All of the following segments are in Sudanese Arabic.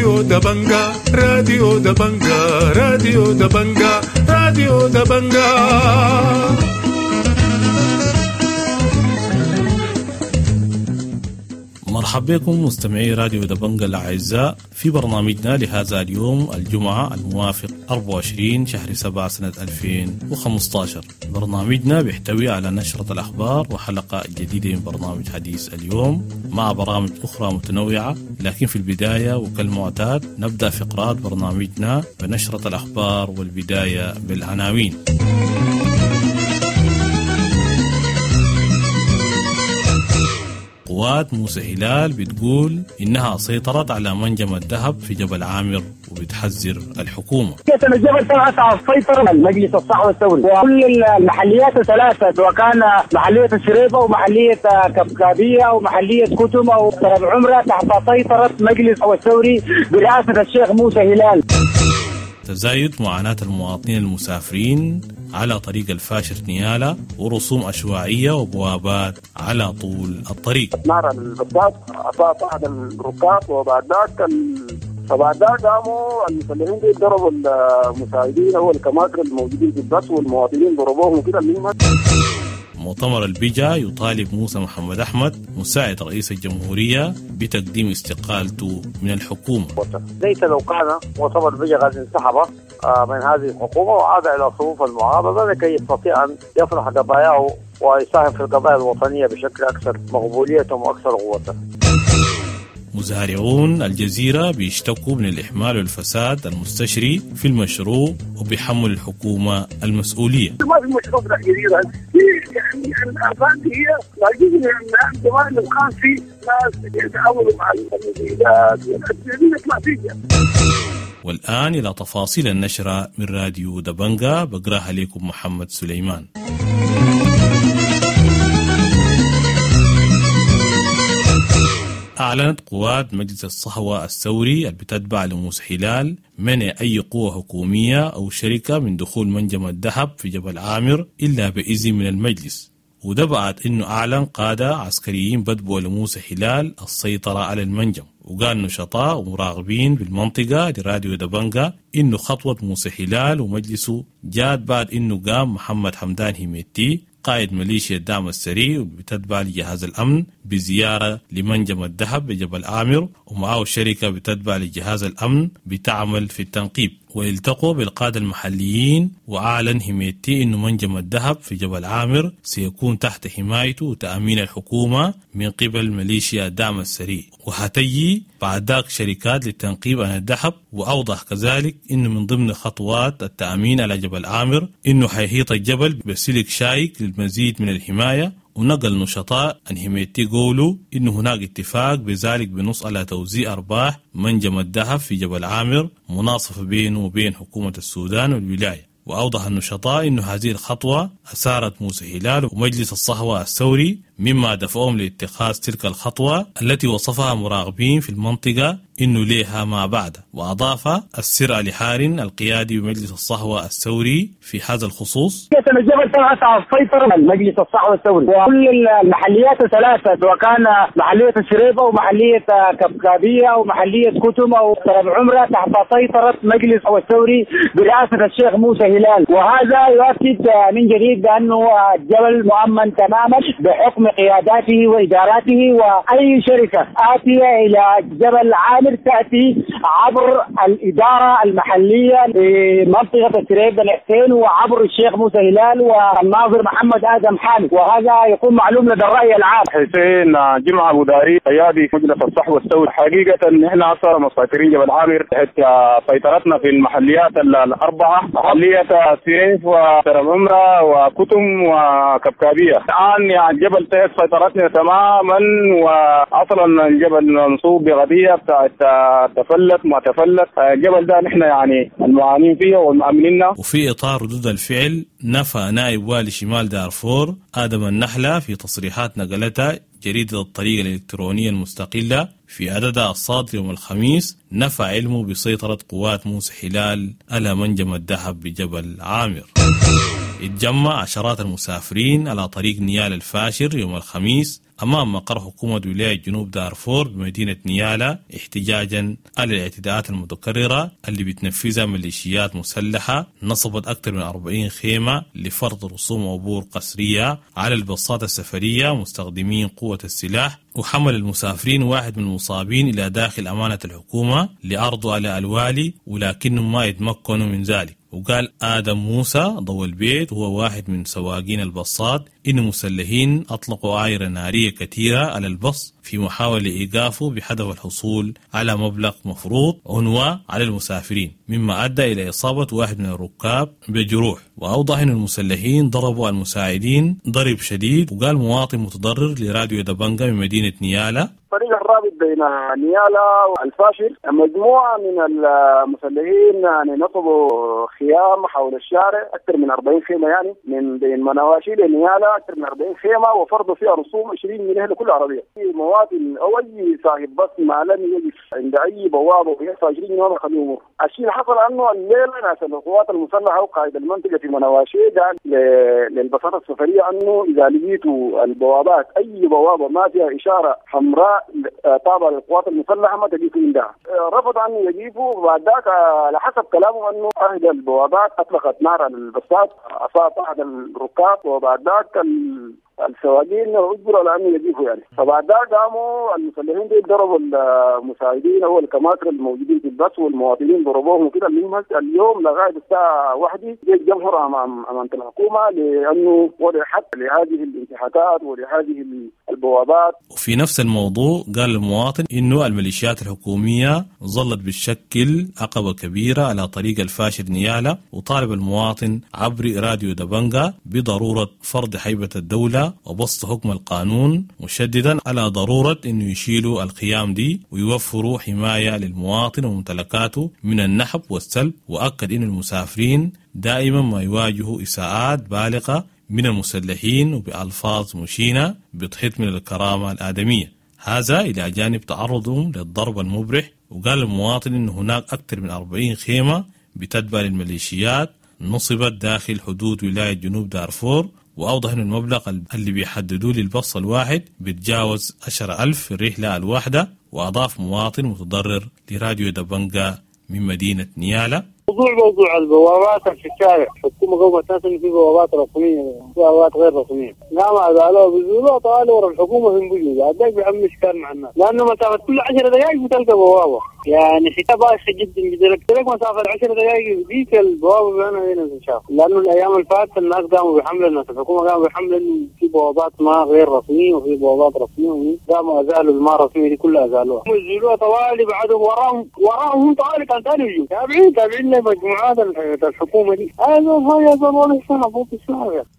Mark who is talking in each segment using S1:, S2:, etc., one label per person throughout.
S1: راديو دبنجا، راديو دبنجا، راديو دبنجا، راديو دبنجا.
S2: مرحبا بكم مستمعي راديو دبنجا الأعزاء في برنامجنا لهذا اليوم الجمعة الموافق 24 شهر 7 سنة 2015. برنامجنا بيحتوي على نشرة الأخبار وحلقة جديدة من برنامج حديث اليوم مع برامج أخرى متنوعة، لكن في البداية وكالمعتاد نبدأ فقرات برنامجنا بنشرة الأخبار والبداية بالعناوين. قوات موسى هلال بتقول إنها سيطرت على منجم الذهب في جبل عامر وبتحذر الحكومة.
S3: الجبل تحت سيطرة المجلس الصحوة الثوري وكل المحليات الثلاثة، سواء كان محلية الشريفة ومحلية كبكابية ومحلية كتم أو عمرة، تحت سيطرة مجلس الثوري برئاسة الشيخ موسى هلال.
S2: تزايد معاناة المواطنين المسافرين على طريق الفاشر نيالا ورسوم عشوائية وبوابات على طول الطريق.
S4: نار البسات أصاب أحد الركاب، وبعد ذاك قاموا المسلحين دي ضربوا المساعدين أو الكماكر الموجودين في البس والمواطنين ضربوهم كده.
S2: مؤتمر البجا يطالب موسى محمد أحمد مساعد رئيس الجمهورية بتقديم استقالته من الحكومة.
S5: ليس لو كان مؤتمر البجا قد انسحب من هذه الحكومة وعاد إلى صفوف المعارضة لكي يستطيع أن يطرح قضاياه ويساهم في القضايا الوطنية بشكل أكثر مقبولية وأكثر قوة.
S2: مزارعون الجزيرة بيشتكوا من الإحمال والفساد المستشري في المشروع وبيحمل الحكومة المسؤولية.
S4: ما في مشروع في الجزيرة، يعني الآفات هي جزء من زمان كان في ناس يتعاونوا مع المبيدات والأدوية فيها.
S2: والآن إلى تفاصيل النشرة من راديو دبنجا، بقراها لكم محمد سليمان. أعلنت قوات مجلس الصحوة الثوري البتتبع لموسى هلال منع أي قوة حكومية أو شركة من دخول منجم الذهب في جبل عامر إلا بإذن من المجلس، وده بعد إنه أعلن قادة عسكريين بدبوا لموسى هلال السيطرة على المنجم. وقال نشطاء ومراقبين بالمنطقة لراديو دبنجا إنه خطوة موسى هلال ومجلسه جات بعد إنه قام محمد حمدان هيميتي قائد ميليشيا الدعم السريع وبتتبع لجهاز الأمن بزيارة لمنجم الذهب بجبل عامر، ومعه شركة بتتبع لجهاز الأمن بتعمل في التنقيب، والتقوا بالقادة المحليين. وأعلن هيميتي أنه منجم الذهب في جبل عامر سيكون تحت حمايته وتأمين الحكومة من قبل ميليشيا الدعم السريع، وهتجي بعد ذاك شركات للتنقيب عن الذهب. وأوضح كذلك أنه من ضمن خطوات التأمين على جبل عامر أنه حيحيط الجبل بسلك شايك للمزيد من الحماية. ونقل نشطاء عن هيميتي قولوا إنه هناك اتفاق بذلك بنص على توزيع أرباح منجم الذهب في جبل عامر مناصفة بينه وبين حكومة السودان والولاية. وأوضح النشطاء أن هذه الخطوة أثارت موسى هلال ومجلس الصحوة الثوري، مما دفعهم لاتخاذ تلك الخطوة التي وصفها مراقبين في المنطقة إنه ليها ما بعد. وأضاف السر علي حارن القيادي بمجلس الصحوة الثوري في هذا الخصوص:
S3: الجبل تحت سيطرة المجلس الصحوة الثوري وكل المحليات الثلاثة، سواء كان محلية الشريفة ومحلية كبكابية ومحلية كتم أو عمرة، تحت سيطرة مجلس الثوري برئاسة الشيخ موسى هلال. وهذا يؤكد من جديد بأنه الجبل مؤمن تماما بحكم قياداته وإداراته، وأي شركة آتية إلى جبل عامر تأتي عبر الإدارة المحلية لمنطقة الشريف الحسين وعبر الشيخ موسى هلال والناظر محمد آدم حامد، وهذا يكون معلوم لدى الرأي العام.
S4: حسين جمعة أبو داري قيادي مجلس الصحوة الثوري. حقيقة نحن أصلا مسيطرين جبل عامر تحت سيطرتنا في المحليات الأربعة، محلية سيف وسرم عمرة وكتم وكبكابية. الآن يعني الجبل تحت سيطرتنا تماما، واصلا الجبل منصوب بغبيه بتاعت تفلت ما تفلت. الجبل ده نحن يعني المعانين فيه والمأمنين.
S2: وفي اطار ردود الفعل، نفى نائب والي شمال دارفور آدم النحلة في تصريحات نقلتها جريدة الطريق الإلكترونية المستقلة في عددها الصادر يوم الخميس، نفى علمه بسيطرة قوات موسى هلال على منجم الذهب بجبل عامر. اتجمع عشرات المسافرين على طريق نيال الفاشر يوم الخميس أمام مقر حكومة ولاية جنوب دارفور بمدينة نيالا احتجاجا على الاعتداءات المتكررة اللي بتنفذها ميليشيات مسلحة نصبت أكثر من 40 خيمة لفرض رسوم عبور قسرية على الباصات السفرية مستخدمين قوة السلاح، وحمل المسافرين واحد من المصابين إلى داخل أمانة الحكومة لعرضه على الوالي، ولكنهم ما يتمكنوا من ذلك. وقال آدم موسى ضوء البيت وهو واحد من سواقين الباصات إن مسلحين أطلقوا عايرة نارية كثيرة على البص في محاولة لإيقافه بهدف الحصول على مبلغ مفروض عنوة على المسافرين، مما أدى إلى إصابة واحد من الركاب بجروح. وأوضح أن المسلحين ضربوا المساعدين ضرب شديد. وقال مواطن متضرر لراديو دبنجا من مدينة نيالا:
S4: الطريق الرابط بين نيالا والفاشر مجموعة من المسلحين يعني نصبوا خيام حول الشارع، أكثر من 40 خيمة، يعني من بين منواشي لنيالا أكثر من 40 خيمة، وفرضوا فيها رسوم 20 جنيه لكل عربية. مواطن أو أي صاحب بس ما لم يقف عند أي بوابة ويدفع 20 جنيه ما خلوه يمر. الشيء اللي حصل أنه الليلة ناس القوات المسلحة وقائد المنطقة في منواشي قال للبساطة السفرية أنه إذا لقيتوا البوابات أي بوابة ما فيها إشارة حمراء تابعة للقوات المسلحة ما تجيبوا عندها. رفض أن يجيبوا، وبعد ذاك على حسب كلامه أنه أحد البوابات أطلقت نار على البساط، أصاب أحد الركاب، وبعد ذاك السواقين اجبروا على انه يجيبوا يعني. فبعد ذاك قاموا المسلحين دي ضربوا المساعدين او الكماتر الموجودين في البس والمواطنين ضربوهم وكده. المهم اليوم لغايه الساعه 1 الجمهور امام الحكومه لانه وضع حد لهذه الانتهاكات ولهذه البوابات.
S2: وفي نفس الموضوع قال المواطن انه الميليشيات الحكوميه ظلت بتشكل عقبه كبيره على طريق الفاشر نيالا، وطالب المواطن عبر راديو دبنجا بضروره فرض هيبه الدوله وبسط حكم القانون، مشددا على ضرورة أنه يشيلوا الخيام دي ويوفروا حماية للمواطن وممتلكاته من النحب والسلب. وأكد أن المسافرين دائما ما يواجهوا إساءات بالغة من المسلحين وبألفاظ مشينة بتحط من الكرامة الآدمية، هذا إلى جانب تعرضهم للضرب المبرح. وقال المواطن أن هناك أكثر من 40 خيمة بتتبع للميليشيات نصبت داخل حدود ولاية جنوب دارفور، وأوضح أن المبلغ اللي بيحددوه للبص الواحد بيتجاوز 10,000 في الرحلة الواحدة. وأضاف مواطن متضرر لراديو دبنجا من مدينة نيالا:
S6: موضوع البوابات في الشارع، الحكومة قومت ناس إنه في بوابات رسمية وبوابات غير رسمية، لا ما زالوا بيزولوا طالوا ورا الحكومة في بيجوا بعد ذاك بيعمل إشكال مع الناس، لأنه مسافة كل 10 دقائق بتلقى بوابة، يعني حكاية بايخة جدا جدا، لك مسافة 10 دقائق ديك البوابة أنا هنا تنشاف، لأنه الأيام اللي فاتت الناس قاموا بحمل، الناس الحكومة قاموا بحمل إنه في بوابات ما غير رسمية وفي بوابات رسمية، قاموا أزالوا الما رسمية دي كلها أزالوها، يزولوها طوالي بعدهم وراهم طوالي كان ثاني يجوا تابعين مجموعات الحكومة دي.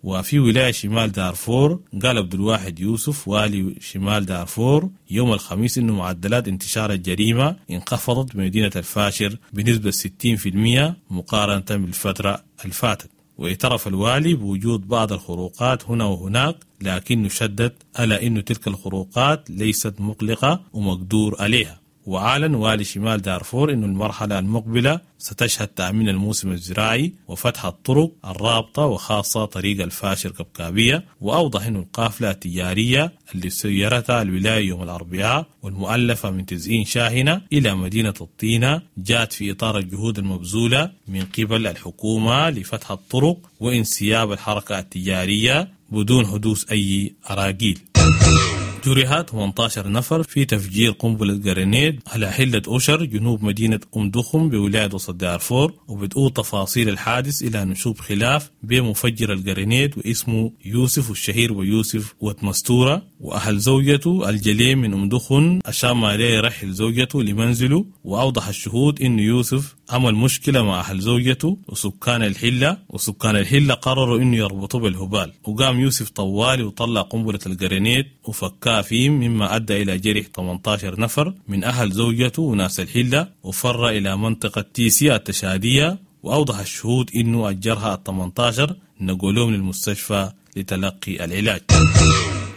S2: وفي ولاية شمال دارفور قال عبد الواحد يوسف والي شمال دارفور يوم الخميس إنه معدلات انتشار الجريمة انخفضت بمدينة الفاشر بنسبة 60% مقارنة بالفترة الفاتت. واعترف الوالي بوجود بعض الخروقات هنا وهناك، لكنه شدد على أن تلك الخروقات ليست مقلقة ومقدور عليها. وأعلن والي شمال دارفور أن المرحلة المقبلة ستشهد تأمين الموسم الزراعي وفتح الطرق الرابطة وخاصة طريق الفاشر كبكابية. وأوضح أن القافلة التجارية اللي سيرتها الولاية يوم الأربعاء والمؤلفة من 90 شاحنة إلى مدينة الطينة جاءت في إطار الجهود المبذولة من قبل الحكومة لفتح الطرق وانسياب الحركة التجارية بدون حدوث أي أراجيل. جرحت 18 نفر في تفجير قنبلة جرينيد على حلة أشر جنوب مدينة أم دخم بولاية وسط دارفور. وبتقول تفاصيل الحادث إلى نشوب خلاف بين مفجر الجرينيد واسمه يوسف الشهير ويوسف وتمستورة وأهل زوجته الجليم من أم دخن عشان ما لا يرحل زوجته لمنزله. وأوضح الشهود إن يوسف عمل مشكلة مع أهل زوجته وسكان الحلة، وسكان الحلة قرروا إنه يربطوه بالهبال، وقام يوسف طوالي وطلع قنبلة الجرينيد وفكاه فيه، مما أدى إلى جرح 18 نفر من أهل زوجته وناس الحلة، وفر إلى منطقة تيسيا التشادية. وأوضح الشهود إنه الجرحى 18 نقلوهم للمستشفى لتلقي العلاج.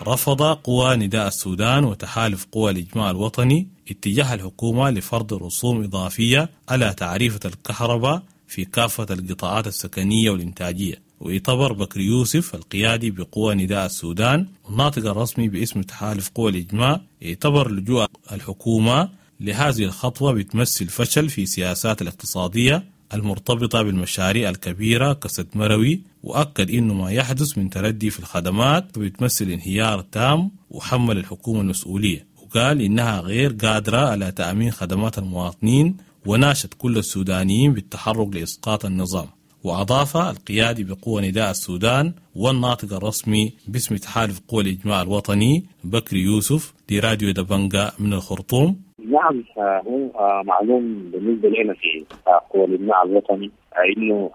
S2: رفض قوى نداء السودان وتحالف قوى الإجماع الوطني اتجاه الحكومة لفرض رسوم إضافية على تعريفة الكهرباء في كافة القطاعات السكنية والإنتاجية. واعتبر بكري يوسف القيادي بقوى نداء السودان والناطق الرسمي باسم تحالف قوى الإجماع، اعتبر لجوء الحكومة لهذه الخطوة بتمثل فشل في سياسات الاقتصادية المرتبطة بالمشاريع الكبيرة كسد مروي، وأكد إنه ما يحدث من تردي في الخدمات بتمثل انهيار تام وحمل الحكومة المسؤولية، وقال إنها غير قادرة على تأمين خدمات المواطنين، وناشد كل السودانيين بالتحرك لإسقاط النظام. وأضاف القيادي بقوى نداء السودان والناطق الرسمي باسم تحالف قوى الإجماع الوطني بكري يوسف لراديو دبنجا من الخرطوم:
S7: نعم، هو معلوم بالنسبة لنا في قوى الإجماع الوطني إنه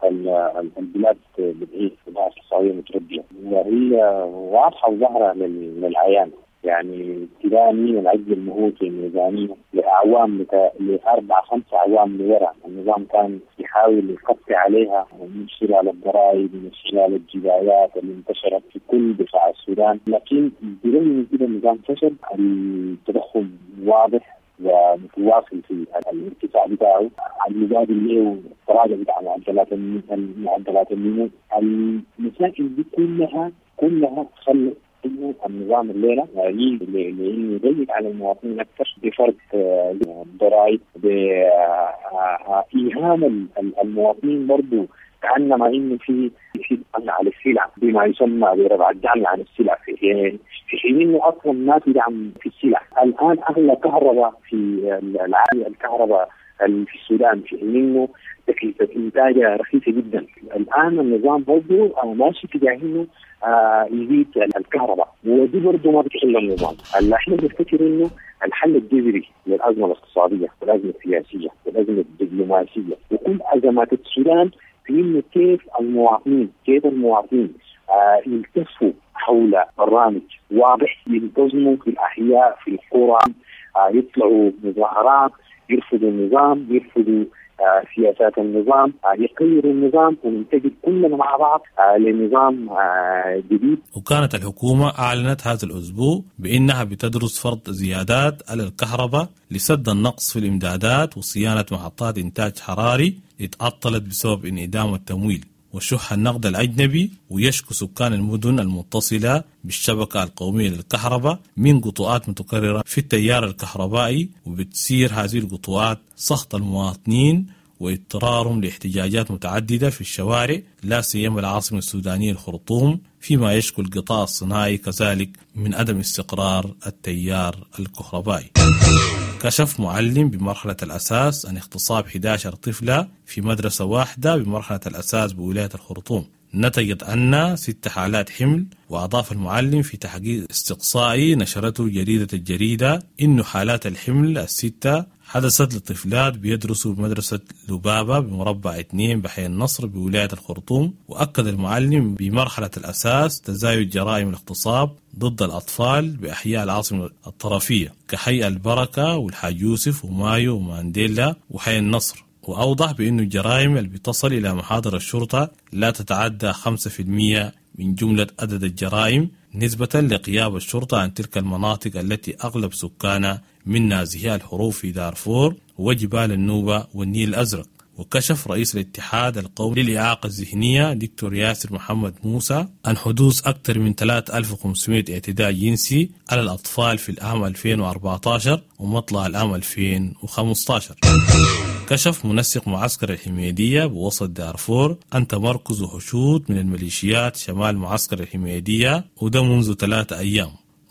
S7: البلاد بتعيش في ظروف اقتصادية متردية، وهي واضحة وظاهرة للعيان. يعني ابتداء من العجز المهول في الميزانية لأعوام، لأربع خمس أعوام لورا، النظام كان يحاول يقطع عليها من خلال الضرائب، من خلال الجبايات اللي انتشرت في كل بقاع السودان، لكن برغم من كده النظام فشل. التضخم واضح ومتواصل في الارتفاع بتاعه، المقابل له تراجع بتاع معدلات النمو. المسائل دي كلها خلت انه النظام الليله يجي لانه يضيق على المواطنين اكثر بفرض ضرائب، بايهام المواطنين برضه كانما انه في دعم على السلع بما يسمى برفع الدعم عن السلع، في حين انه اصلا ما في دعم في السلع. الان اغلى كهرباء في العالم الكهرباء في السودان، في حين انه تكلفه انتاجها رخيصه جدا. الان النظام برضه ماشي تجاه انه يزيد الكهرباء، ودي برضه ما بتحل النظام. اللي احنا بنفتكر انه الحل الجذري للازمه الاقتصاديه والازمه السياسيه والازمه الدبلوماسيه وكل ازمات السودان في انه كيف المواطنين يلتفوا حول برنامج واضح، ينتظموا في الاحياء في القرى، يطلعوا مظاهرات، يرفضوا النظام، يرفضوا سياسات النظام، يغيروا النظام، وننتقل كلنا مع بعض لنظام جديد.
S2: وكانت الحكومة أعلنت هذا الأسبوع بأنها بتدرس فرض زيادات على الكهرباء لسد النقص في الإمدادات وصيانة محطات إنتاج حراري اتعطلت بسبب انعدام التمويل وشح النقد الأجنبي. ويشكو سكان المدن المتصلة بالشبكة القومية للكهرباء من قطوعات متكررة في التيار الكهربائي، وبتسير هذه القطوعات سخط المواطنين واضطرارهم لاحتجاجات متعددة في الشوارع، لا سيما العاصمة السودانية الخرطوم، فيما يشكو القطاع الصناعي كذلك من عدم استقرار التيار الكهربائي. كشف معلم بمرحلة الأساس عن اغتصاب 11 طفلة في مدرسة واحدة بمرحلة الأساس بولاية الخرطوم، نتجت عنها 6 حالات حمل. وأضاف المعلم في تحقيق استقصائي نشرته جريدة الجريدة إنه حالات الحمل ال6 حدثت لطفلات بيدرسوا بمدرسة لبابة بمربع 2 بحي النصر بولاية الخرطوم. وأكد المعلم بمرحلة الأساس تزايد جرائم الاغتصاب ضد الأطفال بأحياء العاصمة الطرفية كحي البركة والحاج يوسف ومايو ومانديلا وحي النصر. وأوضح بأن الجرائم اللي بتصل إلى محاضر الشرطة لا تتعدى 5% من جملة عدد الجرائم، نسبة لغياب الشرطة عن تلك المناطق التي أغلب سكانها من نازحي الحروب في دارفور وجبال النوبة والنيل الأزرق. وكشف رئيس الاتحاد القومي للإعاقة الذهنية دكتور ياسر محمد موسى عن حدوث أكثر من 3500 اعتداء جنسي على الأطفال في العام 2014 ومطلع العام 2015. كشف منسق معسكر الحميدية بوسط دارفور أن تمركز حشود من الميليشيات شمال معسكر الحميدية، وده منذ 3 أيام.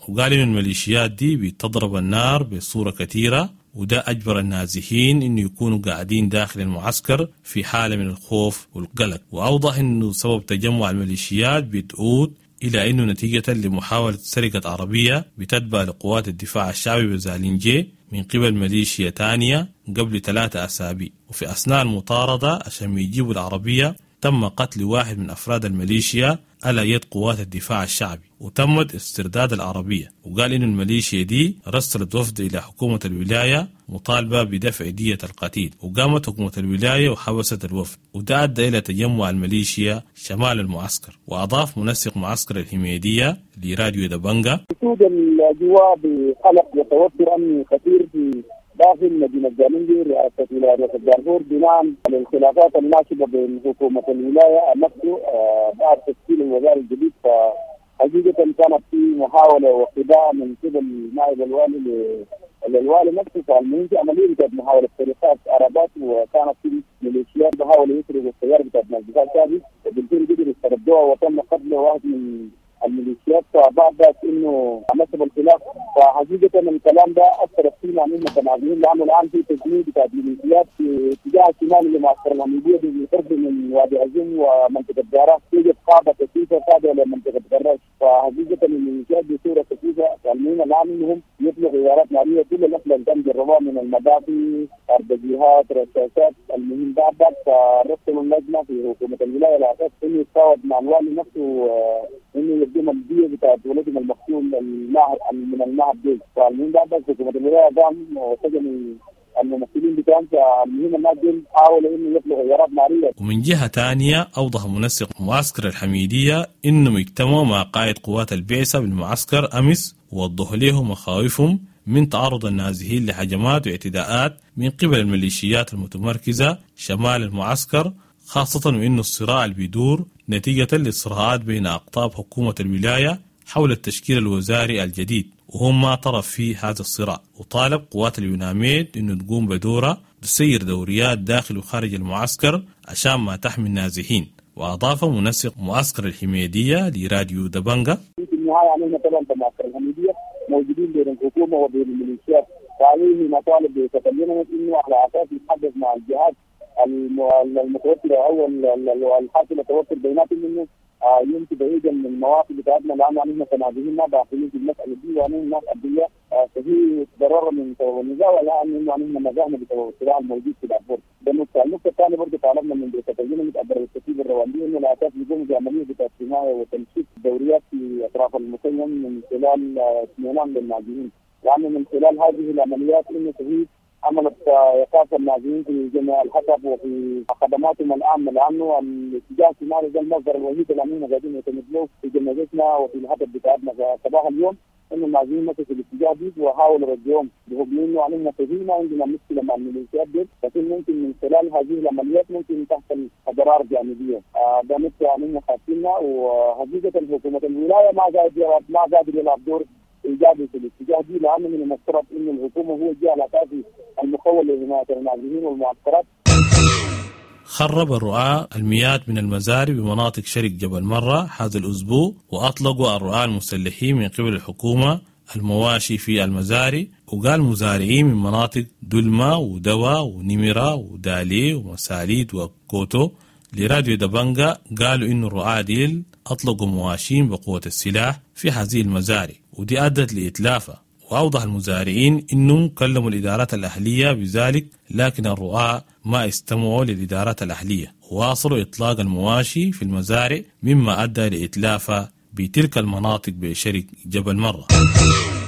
S2: وقال إن الميليشيات دي بتضرب النار بصورة كثيرة، وده أجبر النازحين إنه يكونوا قاعدين داخل المعسكر في حالة من الخوف والقلق. وأوضح إنه سبب تجمع الميليشيات بتعود إلى إنه نتيجة لمحاولة سرقة عربية بتتبع لقوات الدفاع الشعبي بزالينجي من قبل ميليشيا تانية قبل 3 أسابيع. وفي أثناء المطاردة عشان يجيبوا العربية تم قتل واحد من أفراد الميليشيا على يد قوات الدفاع الشعبي، وتمت استرداد العربية. وقال إن الميليشيا دي رسلت وفد إلى حكومة الولاية مطالبة بدفع دية القتيل، وقامت حكومة الولاية وحبست الوفد، وده أدى إلى تجمع الميليشيا شمال المعسكر. وأضاف منسق معسكر الحميدية لراديو دبنجا:
S6: وجود الأجواء بقلق وتوتر أمني كثير في داخل مدينة جالينجي رئاسة ولاية دارفور بناء على الخلافات الناشبة بين حكومة الولاية نفسه بعد تشكيل الوزارة الجديد. فحقيقة كانت في محاولة وخداع من قبل نائب الوالي للوالي نفسه. فالمهم في عملية بتاعت محاولة سرقات عربات، وكانت في ميليشيات بحاولوا يسرقوا السيارة بتاعت ناس دفاع الشعبي، وبالفعل قدروا يستردوها وتم قتل واحد من الميليشيات. فبعد ذلك انه نسب الخلاف. فحقيقة الكلام ده اثر فينا نحن كنازلين، لانه الان في تجنيد بتاع الميليشيات في اتجاه الشمال لمعسكر الحميديه بالقرب من وادي عزم ومنطقة جارة، توجد قاعدة كثيفة تابعه لمنطقه قراش. فحقيقة الميليشيات بصورة كثيفة. فالمهم الان انهم يطلقوا غارات نارية، كل الاسلحة اللي تم جربوها من المدافع، اربجيهات، رشاشات. المهم بعد ذلك فرسلوا اللجنة في حكومة الولاية على اساس انه يتفاوض مع الوالي نفسه انه يقدم الدية بتاعت ولدهم المقتول من المعهد دي. فالمهم بعد ذلك حكومة الولاية قام وسجنوا الممثلين بتاعهم. فالمهم الناس دي حاولوا انه يطلقوا غارات نارية.
S2: ومن جهة ثانية أوضح منسق معسكر الحميدية إنهم اجتمعوا مع قائد قوات البعثة بالمعسكر أمس، ووضحوا لهم مخاوفهم من تعرض النازحين لهجمات واعتداءات من قبل الميليشيات المتمركزة شمال المعسكر، خاصة وإنه الصراع اللي بيدور نتيجة للصراعات بين أقطاب حكومة الولاية حول التشكيل الوزاري الجديد، وهم ما طرف في هذا الصراع. وطالب قوات اليوناميد إنه تقوم بدورها تسير دوريات داخل وخارج المعسكر عشان ما تحمي النازحين. وأضاف منسق معسكر الحميدية لراديو دبنجة:
S6: في النهاية علينا طبعا معسكر الحميدية موجودين بين الحكومة وبين الميليشيات، فعليه مطالب بتكلمنا إنه على أساس يتحدث مع الجهات المتوترة أو الحاصلة توتر بيناتهم إنه يمشي بعيدا من المواقف بتاعتنا، لأنه نحن كنازحين ما داخلين في المسألة دي، وأنه الناس أبرياء فهي تضرر من سبب النزاع، ولا أنه نحن نزعنا بسبب الصراع الموجود في دارفور. ده النقطة. النقطة الثانية برضه طالبنا من تتجنب عبر الكتيبة الرواندية إنه على أساس يقوم بعملية بتاعت حماية وتنشيط دوريات في أطراف المخيم من خلال اطمئنان للنازحين، لأنه من خلال هذه العمليات إنه فهي عملت ايقاف النازحين في جميع الحسب وفي خدماتهم العامة، لانه الاتجاه الشمالي ده المصدر الوحيد اللي احنا قاعدين نعتمد له في جنازتنا وفي الهدف بتاعتنا. فصباح اليوم انه النازحين مشوا في الاتجاه دي وحاولوا رجعهم بحكم انه علينا ما عندنا مشكلة مع الميليشيات دي، لكن ممكن من خلال هذه العمليات ممكن تحصل اضرار جانبيه. ده نقطة علينا خاصيننا. وحقيقة حكومة الولاية ما قادر يلعب دور ايجابي في الاتجاه دي، لانه من المفترض انه الحكومة هو الجهة الاساسي المخول لحماية النازحين والمعسكرات.
S2: خرب الرعاة المئات من المزارع بمناطق شرق جبل مرة هذا الأسبوع، وأطلقوا الرعاة المسلحين من قبل الحكومة المواشي في المزارع. وقال مزارعين من مناطق دلما ودوا ونمرة ودالي ومساليد وكوتو لراديو دبنجا قالوا إن الرعاة ديل أطلقوا مواشين بقوة السلاح في هذه المزارع، ودي أدت لإتلافها. وأوضح المزارعين إنهم كلموا الإدارات الأهلية بذلك، لكن الرعاة ما استمعوا للإدارات الأهلية وواصلوا إطلاق المواشي في المزارع، مما أدى لإتلافها بتلك المناطق بشرق جبل مرة.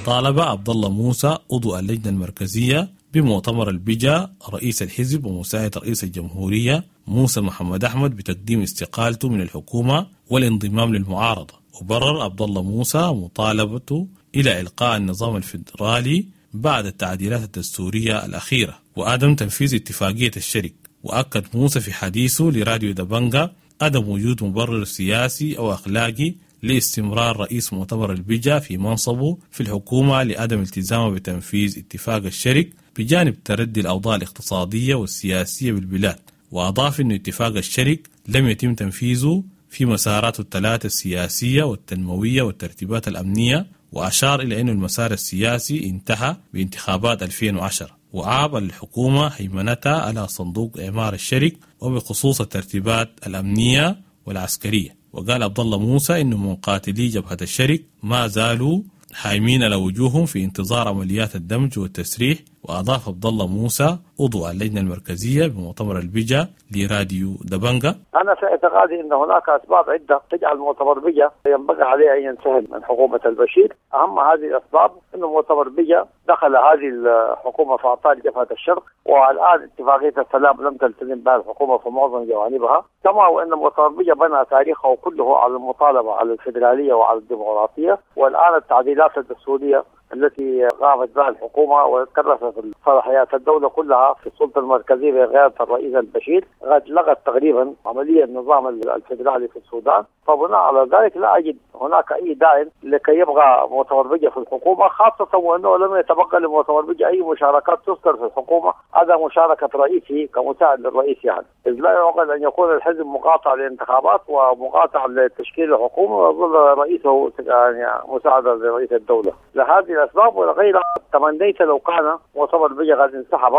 S2: طالب عبد الله موسى عضو اللجنة المركزية بمؤتمر البجا رئيس الحزب ومساعد رئيس الجمهورية موسى محمد أحمد بتقديم استقالته من الحكومة والانضمام للمعارضة. وبرر عبد الله موسى مطالبته إلى إلقاء النظام الفيدرالي بعد التعديلات الدستورية الأخيرة وعدم تنفيذ اتفاقية الشرق. وأكد موسى في حديثه لراديو دبنجا عدم وجود مبرر سياسي أو أخلاقي لاستمرار رئيس مؤتمر البجا في منصبه في الحكومة لعدم التزامه بتنفيذ اتفاق الشرق بجانب تردي الأوضاع الاقتصادية والسياسية بالبلاد. وأضاف أن اتفاق الشرق لم يتم تنفيذه في مساراته الثلاثة السياسية والتنموية والترتيبات الأمنية، وأشار إلى أن المسار السياسي انتهى بانتخابات 2010. وعاب الحكومة هيمنتها على صندوق إعمار الشرق وبخصوص الترتيبات الأمنية والعسكرية. وقال عبد الله موسى إن مقاتلي جبهة الشرق ما زالوا حايمين على وجوههم في انتظار عمليات الدمج والتسريح. وأضاف عبد الله موسى عضو اللجنة المركزية بمؤتمر البجا لراديو دبنجا:
S5: أنا في اعتقادي أن هناك أسباب عدة تجعل مؤتمر بجا ينبغي عليه أن ينسحب من حكومة البشير. أهم هذه الأسباب أن مؤتمر بجا دخل هذه الحكومة في أعطال جبهة الشرق، والآن اتفاقية السلام لم تلتزم بها الحكومة في معظم جوانبها، كما وأن مؤتمر بجا بنى تاريخه كله على المطالبة على الفيدرالية وعلى الديمقراطية، والآن التعديلات الدستورية التي قامت بها الحكومة وكرست حوزة صلاحيات الدولة كلها في السلطة المركزية بقيادة الرئيس البشير قد لغت تقريبا عملية النظام الفدرالي في السودان. فبناء على ذلك لا أجد هناك أي داع لكي يبقى مؤتمر بجا في الحكومة، خاصة وأنه لم يتبقى لمؤتمر بجا أي مشاركات تذكر في الحكومة هذا مشاركة رئيسه كمساعد للرئيس، يعني إذ لا يعقل أن يكون الحزب مقاطع للانتخابات ومقاطع لتشكيل الحكومة ويظل رئيسه يعني مساعدا لرئيس الدولة. لهذه الأسباب ولغيرها تمنيت لو كان مؤتمر بجا قد انسحب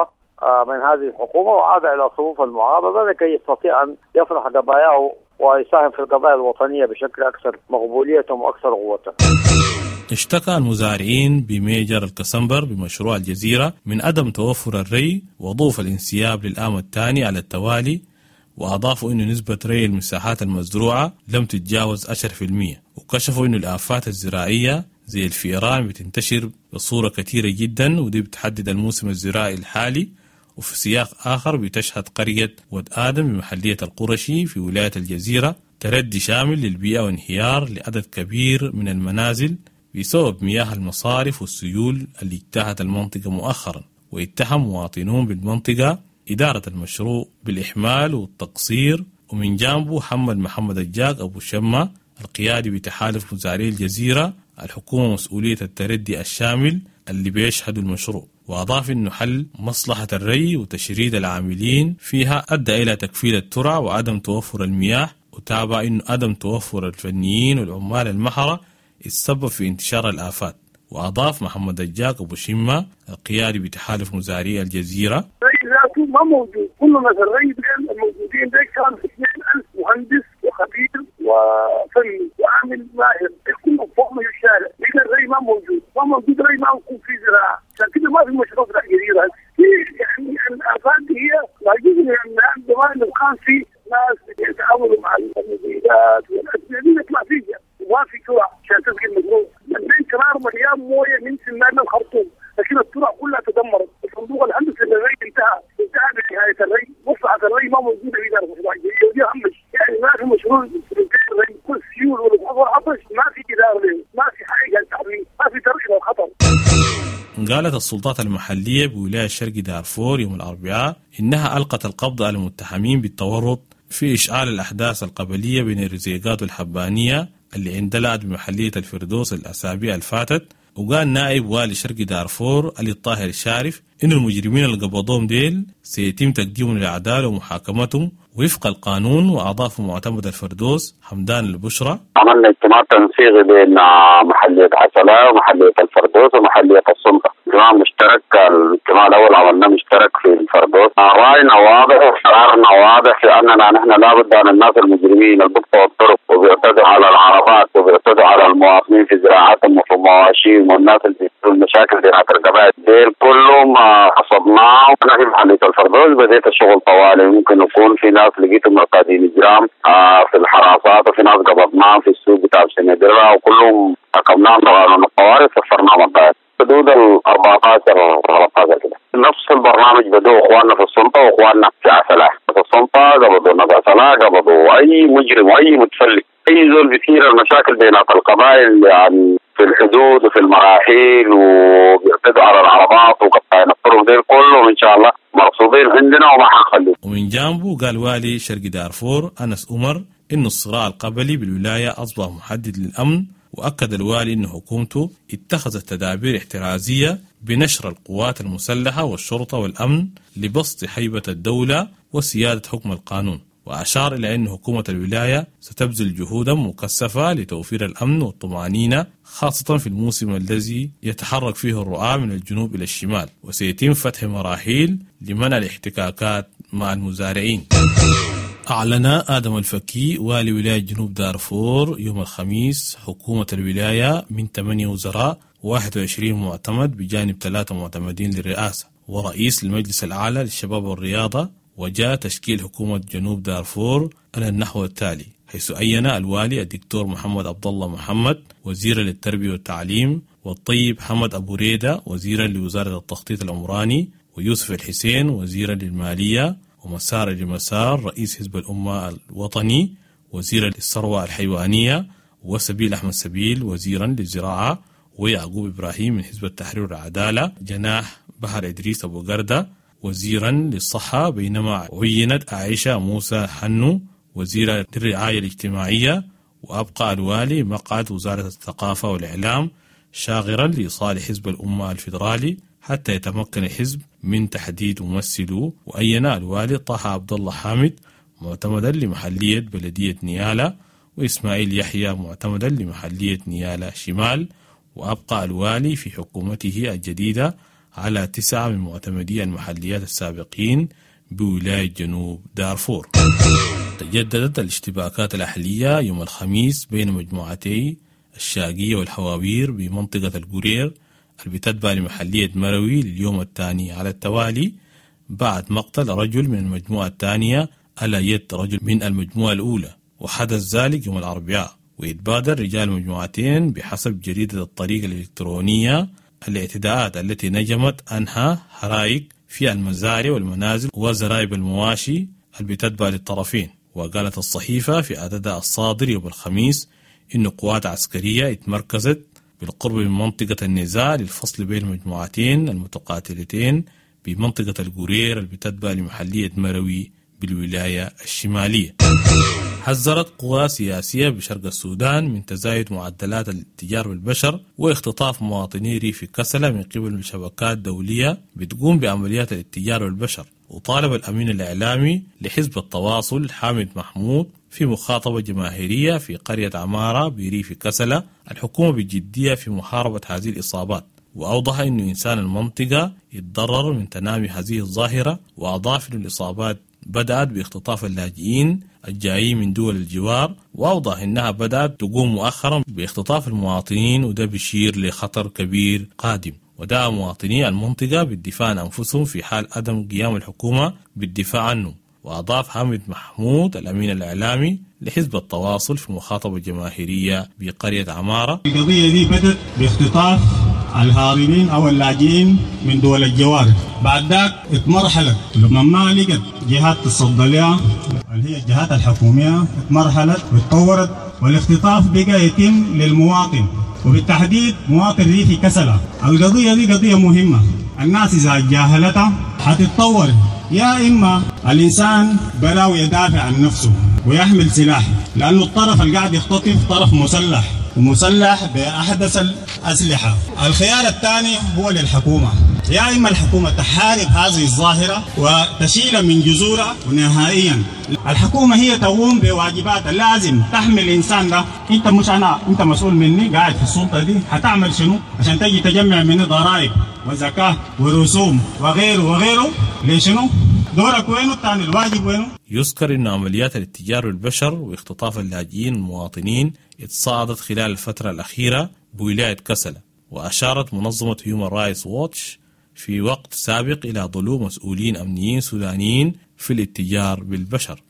S5: من هذه الحكومة وعاد إلى صفوف المعارضة لكي يستطيع أن يطرح قضاياه ويساهم في القضايا الوطنية بشكل أكثر مقبولية وأكثر قوة.
S2: اشتكى المزارعين بميجر الكسمبر بمشروع الجزيرة من عدم توفر الري وضعف الانسياب للعام الثاني على التوالي، وأضافوا أن نسبة ري المساحات المزروعة لم تتجاوز 10%، وكشفوا أن الآفات الزراعية زي الفئران بتنتشر بصورة كثيرة جدا، ودي بتحدد الموسم الزراعي الحالي. وفي سياق آخر بتشهد قرية ود آدم بمحلية القرشي في ولاية الجزيرة تردي شامل للبيئة وانهيار لعدد كبير من المنازل بسبب مياه المصارف والسيول اللي اجتاحت المنطقة مؤخرا. واتهم مواطنون بالمنطقة إدارة المشروع بالإحمال والتقصير. ومن جانبه حمل محمد الجاك أبو شمة القيادي بتحالف مزارعي الجزيرة الحكومة مسؤولية التردي الشامل اللي بيشهد المشروع، وأضاف أنه حل مصلحة الري وتشريد العاملين فيها أدى إلى تكفيل الترع وعدم توفر المياه، وتابع أنه عدم توفر الفنيين والعمال المحرة السبب في انتشار الآفات. وأضاف محمد الجاك أبو شمة القيادي بتحالف مزارعي الجزيرة:
S6: الري ذاته ما موجود، كل ناس الري الموجودين ده كان 2000 مهندس وخبير وفني وعامل ماهر، كلهم فوق من الشارع، لكن الري ما موجود، ما موجود ري، ما يكون في زراعة، عشان كده ما في مشروع في الجزيرة. في يعني الآفات هي لا يجوز من زمان لو كان في ناس يتعاملوا مع المبيدات والأدوية دي يطلع فيها، وما في ترع عشان تسقي المزروع. البين كرار مليان مويه من سمان الخرطوم، لكن الترع كلها تدمرت. الصندوق الهندسي للري انتهى بنهاية الري، مصلحة الري ما موجودة في إدارة مشروع الجزيرة، ودي أهم شيء. يعني ما في مشروع الري، كل سيول والعطش ما في إدارة له، ما في حاجة تعميم، ما في ترك للخطر.
S2: قالت السلطات المحلية بولاية شرق دارفور يوم الأربعاء إنها ألقت القبض على المتهمين بالتورط في إشعال الأحداث القبلية بين الرزيقات والحبانية اللي اندلعت بمحلية الفردوس الأسابيع الفاتت. وقال نائب والي شرق دارفور علي الطاهر الشارف إن المجرمين اللي قبضوهم ديل سيتم تقديمهم للعدالة ومحاكمتهم وفق القانون. وأضاف معتمد الفردوس حمدان البشرى:
S8: عملنا اجتماع تنسيقي بين محلية عسلة ومحلية الفردوس ومحلية السلطة، اجتماع مشترك. الاجتماع الأول عملناه مشترك في الفردوس. رأينا واضح وقرارنا واضح في أننا نحن لابد أن الناس المجرمين اللي بيقطعوا الطرق وبيعتدوا على العربات وبيعتدوا على المواطنين في زراعتهم وفي مواشيهم والناس اللي بيعملوا المشاكل بتاعت القبائل ديل كلهم حصدناهم. أنا في محلية الفردوس بديت الشغل طوالي، ممكن يكون في ناس لقيتهم مرتادين إجرام في الحراسات، وفي ناس قبضناهم في السوق بتاع سندرة، وكلهم حكمناهم بقانون الطوارئ سفرناهم الطائر حدود ال 14 13 كده. نفس البرنامج بدوا اخواننا في السلطة واخواننا في عسلة. في السلطة قبضوا الناس عسلة، قبضوا اي مجرم واي متفلت، اي زول بيثير المشاكل بين القبائل يعني في الحدود وفي المراحيل وبيعتدوا على العربات وقطعين الطرق دي كلهم ان شاء الله مرصودين عندنا وما حنخليهم.
S2: ومن جانبه قال والي شرق دارفور أنس عمر إن الصراع القبلي بالولاية أصبح محدد للأمن، وأكد الوالي أن حكومته اتخذت تدابير احترازية بنشر القوات المسلحة والشرطة والأمن لبسط هيبة الدولة وسيادة حكم القانون. وأشار إلى أن حكومة الولاية ستبذل جهودا مكثفة لتوفير الأمن والطمأنينة، خاصة في الموسم الذي يتحرك فيه الرعاة من الجنوب إلى الشمال، وسيتم فتح مراحيل لمنع الاحتكاكات مع المزارعين. أعلن آدم الفكي والي ولاية جنوب دارفور يوم الخميس حكومة الولاية من 8 وزراء 21 معتمد بجانب 3 معتمدين للرئاسة ورئيس المجلس الأعلى للشباب والرياضة. وجاء تشكيل حكومة جنوب دارفور على النحو التالي، حيث عين الوالي الدكتور محمد عبد الله محمد وزيرا للتربية والتعليم، والطيب حمد أبو ريدة وزيرا لوزارة التخطيط العمراني، ويوسف الحسين وزيرا للمالية، ومسار المسار رئيس حزب الأمة الوطني وزيرا للثروة الحيوانية، وسبيل أحمد سبيل وزيرا للزراعة، ويعقوب إبراهيم من حزب التحرير والعدالة جناح بحر إدريس أبو قردة وزيرا للصحة، بينما عينت عائشة موسى حنو وزيرة للرعاية الاجتماعية، وأبقى الوالي مقعد وزارة الثقافة والإعلام شاغرا لصالح حزب الأمة الفيدرالي حتى يتمكن الحزب من تحديد ممثله. وأين الوالي طه عبد الله حامد معتمدا لمحلية بلدية نيالا، وإسماعيل يحيى معتمدا لمحلية نيالا شمال. وأبقى الوالي في حكومته الجديدة على 9 من معتمدي المحليات السابقين بولاية جنوب دارفور. تجددت الاشتباكات الأهلية يوم الخميس بين مجموعتي الشاقية والحواوير بمنطقة القرير اللي بتتبع لمحلية مروي لليوم الثاني على التوالي، بعد مقتل رجل من المجموعة الثانية على يد رجل من المجموعة الأولى، وحدث ذلك يوم الأربعاء. ويتبادر رجال المجموعتين بحسب جريدة الطريق الإلكترونية الاعتداءات التي نجمت عنها حرائق في المزارع والمنازل وزرايب المواشي اللي بتتبع للطرفين. وقالت الصحيفة في عددها الصادر يوم الخميس إن قوات عسكرية اتمركزت بالقرب من منطقة النزاع للفصل بين المجموعتين المتقاتلتين بمنطقة القرير اللي بتتبع لمحلية مروي بالولاية الشمالية. حذرت قوى سياسية بشرق السودان من تزايد معدلات الاتجار بالبشر واختطاف مواطني ريف كسلة من قبل شبكات دولية بتقوم بعمليات الاتجار بالبشر. وطالب الأمين الإعلامي لحزب التواصل حامد محمود في مخاطبة جماهيرية في قرية عمارة بريف كسلة الحكومة بجدية في محاربة هذه الإصابات، وأوضح أن إنسان المنطقة يتضرر من تنامي هذه الظاهرة، وأضاف أن الإصابات بدأت باختطاف اللاجئين الجايين من دول الجوار، وأوضح أنها بدأت تقوم مؤخرا باختطاف المواطنين، وده بيشير لخطر كبير قادم. ودعا مواطني المنطقة بالدفاع عن أنفسهم في حال عدم قيام الحكومة بالدفاع عنه. وأضاف حامد محمود الأمين الإعلامي لحزب التواصل في مخاطبة جماهيرية بقرية عمارة:
S9: القضية دي بدأت باختطاف الهاربين أو اللاجئين من دول الجوار، بعد ذاك اتمرحلت لما ما لقت جهات تصدى لها اللي هي الجهات الحكومية، اتمرحلت واتطورت، والاختطاف بقى يتم للمواطن وبالتحديد مواطن ريفي كسلة. القضية دي قضية مهمة، الناس إذا جاهلتها حتتطور، يا إما الإنسان براو يدافع عن نفسه ويحمل سلاح، لأنه الطرف اللي قاعد يختطف طرف مسلح ومسلح بأحدث الأسلحة. الخيار الثاني هو للحكومة، يا إما الحكومة تحارب هذه الظاهرة وتشيلها من جذورها نهائيا. الحكومة هي تقوم بواجباتها، لازم تحمي الإنسان ده. أنت مش أنا، أنت مسؤول مني، قاعد في السلطة دي، هتعمل شنو عشان تجي تجمع مني ضرائب وزكاة ورسوم وغيره وغيره؟ ليش شنو؟ دورك وينه الثاني؟ الواجب وينه؟
S2: يذكر أن عمليات الاتجار بالبشر واختطاف اللاجئين المواطنين اتصاعدت خلال الفترة الأخيرة بولاية كسلة، وأشارت منظمة هيومن رايتس ووتش في وقت سابق إلى ضلوع مسؤولين أمنيين سودانيين في الاتجار بالبشر.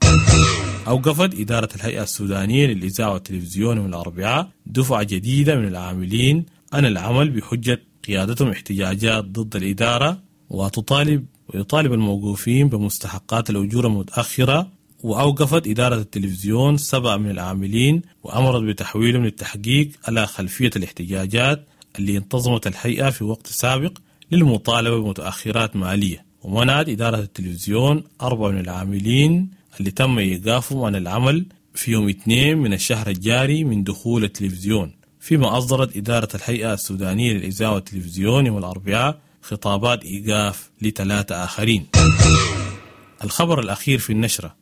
S2: أوقفت إدارة الهيئة السودانية للإذاعة والتلفزيون يوم الأربعاء دفعة جديدة من العاملين عن العمل بحجة قيادتهم احتجاجات ضد الإدارة، ويطالب الموقوفين بمستحقات الأجور المتأخرة. وأوقفت إدارة التلفزيون 7 من العاملين وأمرت بتحويلهم للتحقيق على خلفية الاحتجاجات اللي انتظمت الهيئة في وقت سابق للمطالبة بمتأخرات مالية. ومنعت إدارة التلفزيون 4 من العاملين اللي تم إيقافهم عن العمل في يوم 2 من الشهر الجاري من دخول التلفزيون، فيما أصدرت إدارة الهيئة السودانية للإذاعة والتلفزيون يوم الأربعاء خطابات إيقاف ل3 آخرين. الخبر الأخير في النشرة: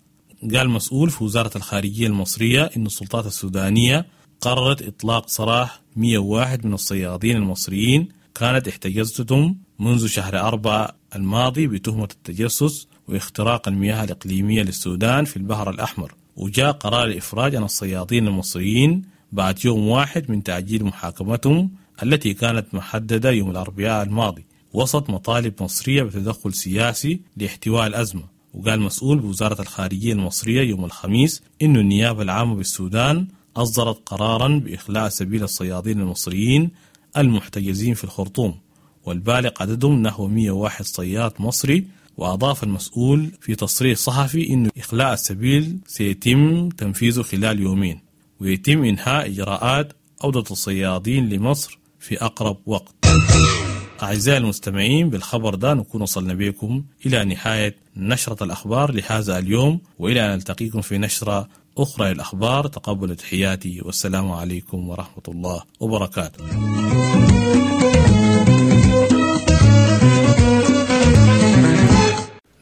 S2: قال مسؤول في وزارة الخارجية المصرية إن السلطات السودانية قررت إطلاق سراح 101 من الصيادين المصريين كانت احتجزتهم منذ شهر 4 الماضي بتهمة التجسس واختراق المياه الإقليمية للسودان في البحر الأحمر. وجاء قرار الإفراج عن الصيادين المصريين بعد يوم واحد من تأجيل محاكمتهم التي كانت محددة يوم الأربعاء الماضي، وسط مطالب مصرية بتدخل سياسي لاحتواء الأزمة. وقال مسؤول بوزارة الخارجية المصرية يوم الخميس إن النيابة العامة بالسودان أصدرت قرارا بإخلاء سبيل الصيادين المصريين المحتجزين في الخرطوم، والبالغ عددهم نحو 101 صياد مصري. وأضاف المسؤول في تصريح صحفي إن إخلاء السبيل سيتم تنفيذه خلال يومين، ويتم إنهاء إجراءات عودة الصيادين لمصر في أقرب وقت. أعزائي المستمعين، بالخبر ده نكون وصلنا بكم إلى نهاية نشرة الأخبار لهذا اليوم، وإلى أن نلتقيكم في نشرة أخرى للأخبار. تقبلوا تحياتي والسلام عليكم ورحمة الله وبركاته.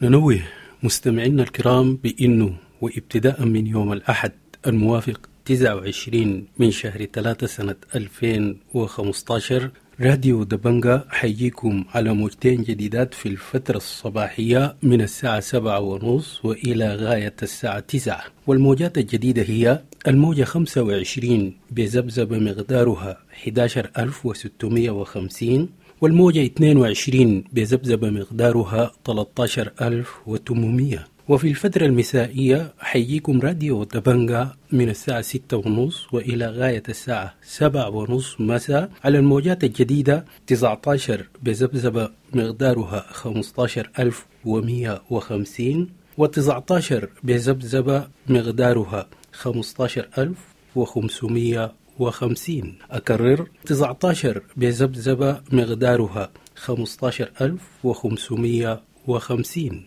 S10: ننوه مستمعينا الكرام بأنه وابتداء من يوم الأحد الموافق 29 من شهر 3 سنة 2015 راديو دبنجا حيجيكم على موجتين جديدات في الفترة الصباحية من الساعة 7:30 وإلى غاية الساعة 9. والموجات الجديدة هي الموجة 25 بذبذبة مقدارها 11650، والموجة 22 بذبذبة مقدارها 13800. وفي الفترة المسائية حيجيكم راديو دبنجا من الساعة 6:30 وإلى غاية الساعة 7:30 مساء على الموجات الجديدة 19 بذبذبة مقدارها 15150، و19 بذبذبة مقدارها 15550. أكرر، 19 بذبذبة مقدارها 15550.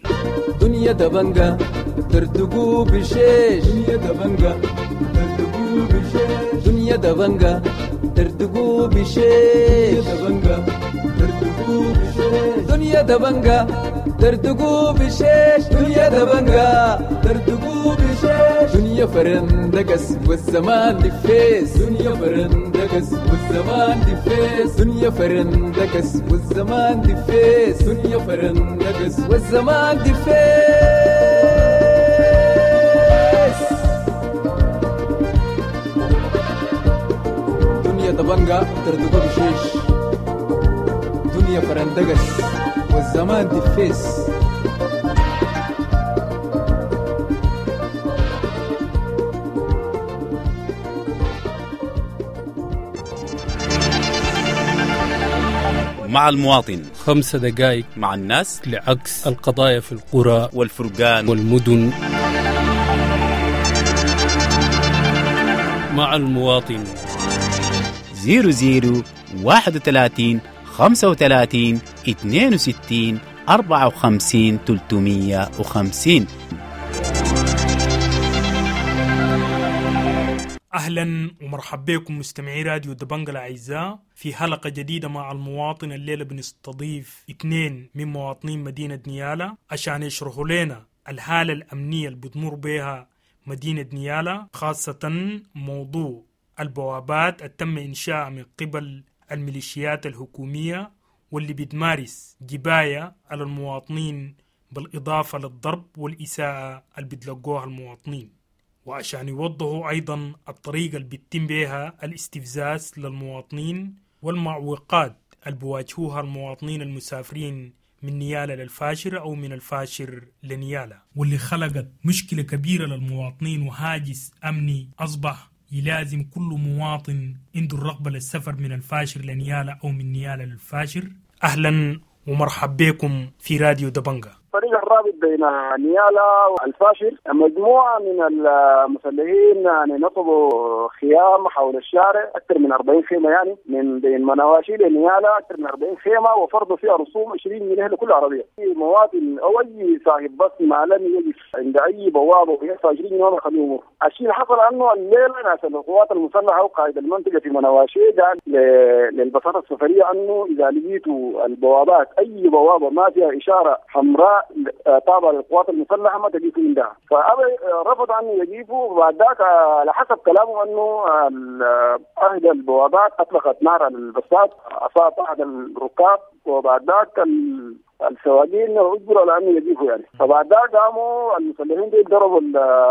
S11: دنيا دبنجا ترتقو بشيش، دنيا دبنجا ترتقو بشيش، دنيا دبنجا ترتقو بشيش، دبنجا ترتقو بشيش، دنيا دبنجا ترتقو بشيش، دنيا دبنجا ترتقو بشيش، دنيا فرندقس والزمان دفيس، دنيا فرندقس والزمان دفيس، دنيا فرندقس والزمان دفيس، دنيا فرندقس والزمان دفيس. دنيا دبنجا ترتقو بشيش، دنيا فرندقس والزمان دفيس.
S12: مع المواطن
S10: 5 دقائق
S12: مع الناس
S10: لعكس القضايا في القرى
S12: والفرقان
S10: والمدن. مع المواطن
S12: 00 31 35 62 54 350.
S13: أهلا ومرحبا بكم مستمعي راديو دبنجا الأعزاء في حلقة جديدة مع المواطن. الليلة بنستضيف 2 من مواطنين مدينة نيالا عشان يشرحوا لنا الحالة الأمنية اللي بتمر بها مدينة نيالا، خاصة موضوع البوابات التم إنشاءها من قبل الميليشيات الحكومية واللي بتمارس جباية على المواطنين بالإضافة للضرب والإساءة اللي بتلقوها المواطنين، وعشان يوضحوا أيضا الطريقة اللي بيتم بها الاستفزاز للمواطنين والمعوقات اللي بيواجهوها المواطنين المسافرين من نيالا للفاشر أو من الفاشر لنيالا، واللي خلقت مشكلة كبيرة للمواطنين وهاجس أمني أصبح يلازم كل مواطن عنده الرغبة للسفر من الفاشر لنيالا أو من نيالا للفاشر. أهلا ومرحبا بكم في راديو دبنجا.
S4: الطريق الرابط بين نيالا والفاشر مجموعة من المسلحين يعني نصبوا خيام حول الشارع أكثر من 40 خيمة، يعني من بين منواشي لنيالا أكثر من 40 خيمة، وفرضوا فيها رسوم 20 جنيه لكل عربية. أي مواطن أو أي صاحب بس ما لم يقف عند أي بوابة ويدفع 20 جنيه ما يخليه يمر. الشيء اللي حصل أنه الليلة ناس القوات المسلحة وقائد المنطقة في منواشي قال للبساطة السفرية أنه إذا لقيتوا البوابات أي بوابة ما فيها إشارة حمراء طابع للقوات المسلحة ما تجيفوا عندها، فأبي رفض أن يجيفوا. وبعد ذاك على حسب كلامه أنه أحد البوابات أطلقت نار على البساط، أصاب أحد الركاب، وبعد ذاك السواقين اجبروا على انه يجيفوا يعني. فبعد ذاك قاموا المسلحين دي ضربوا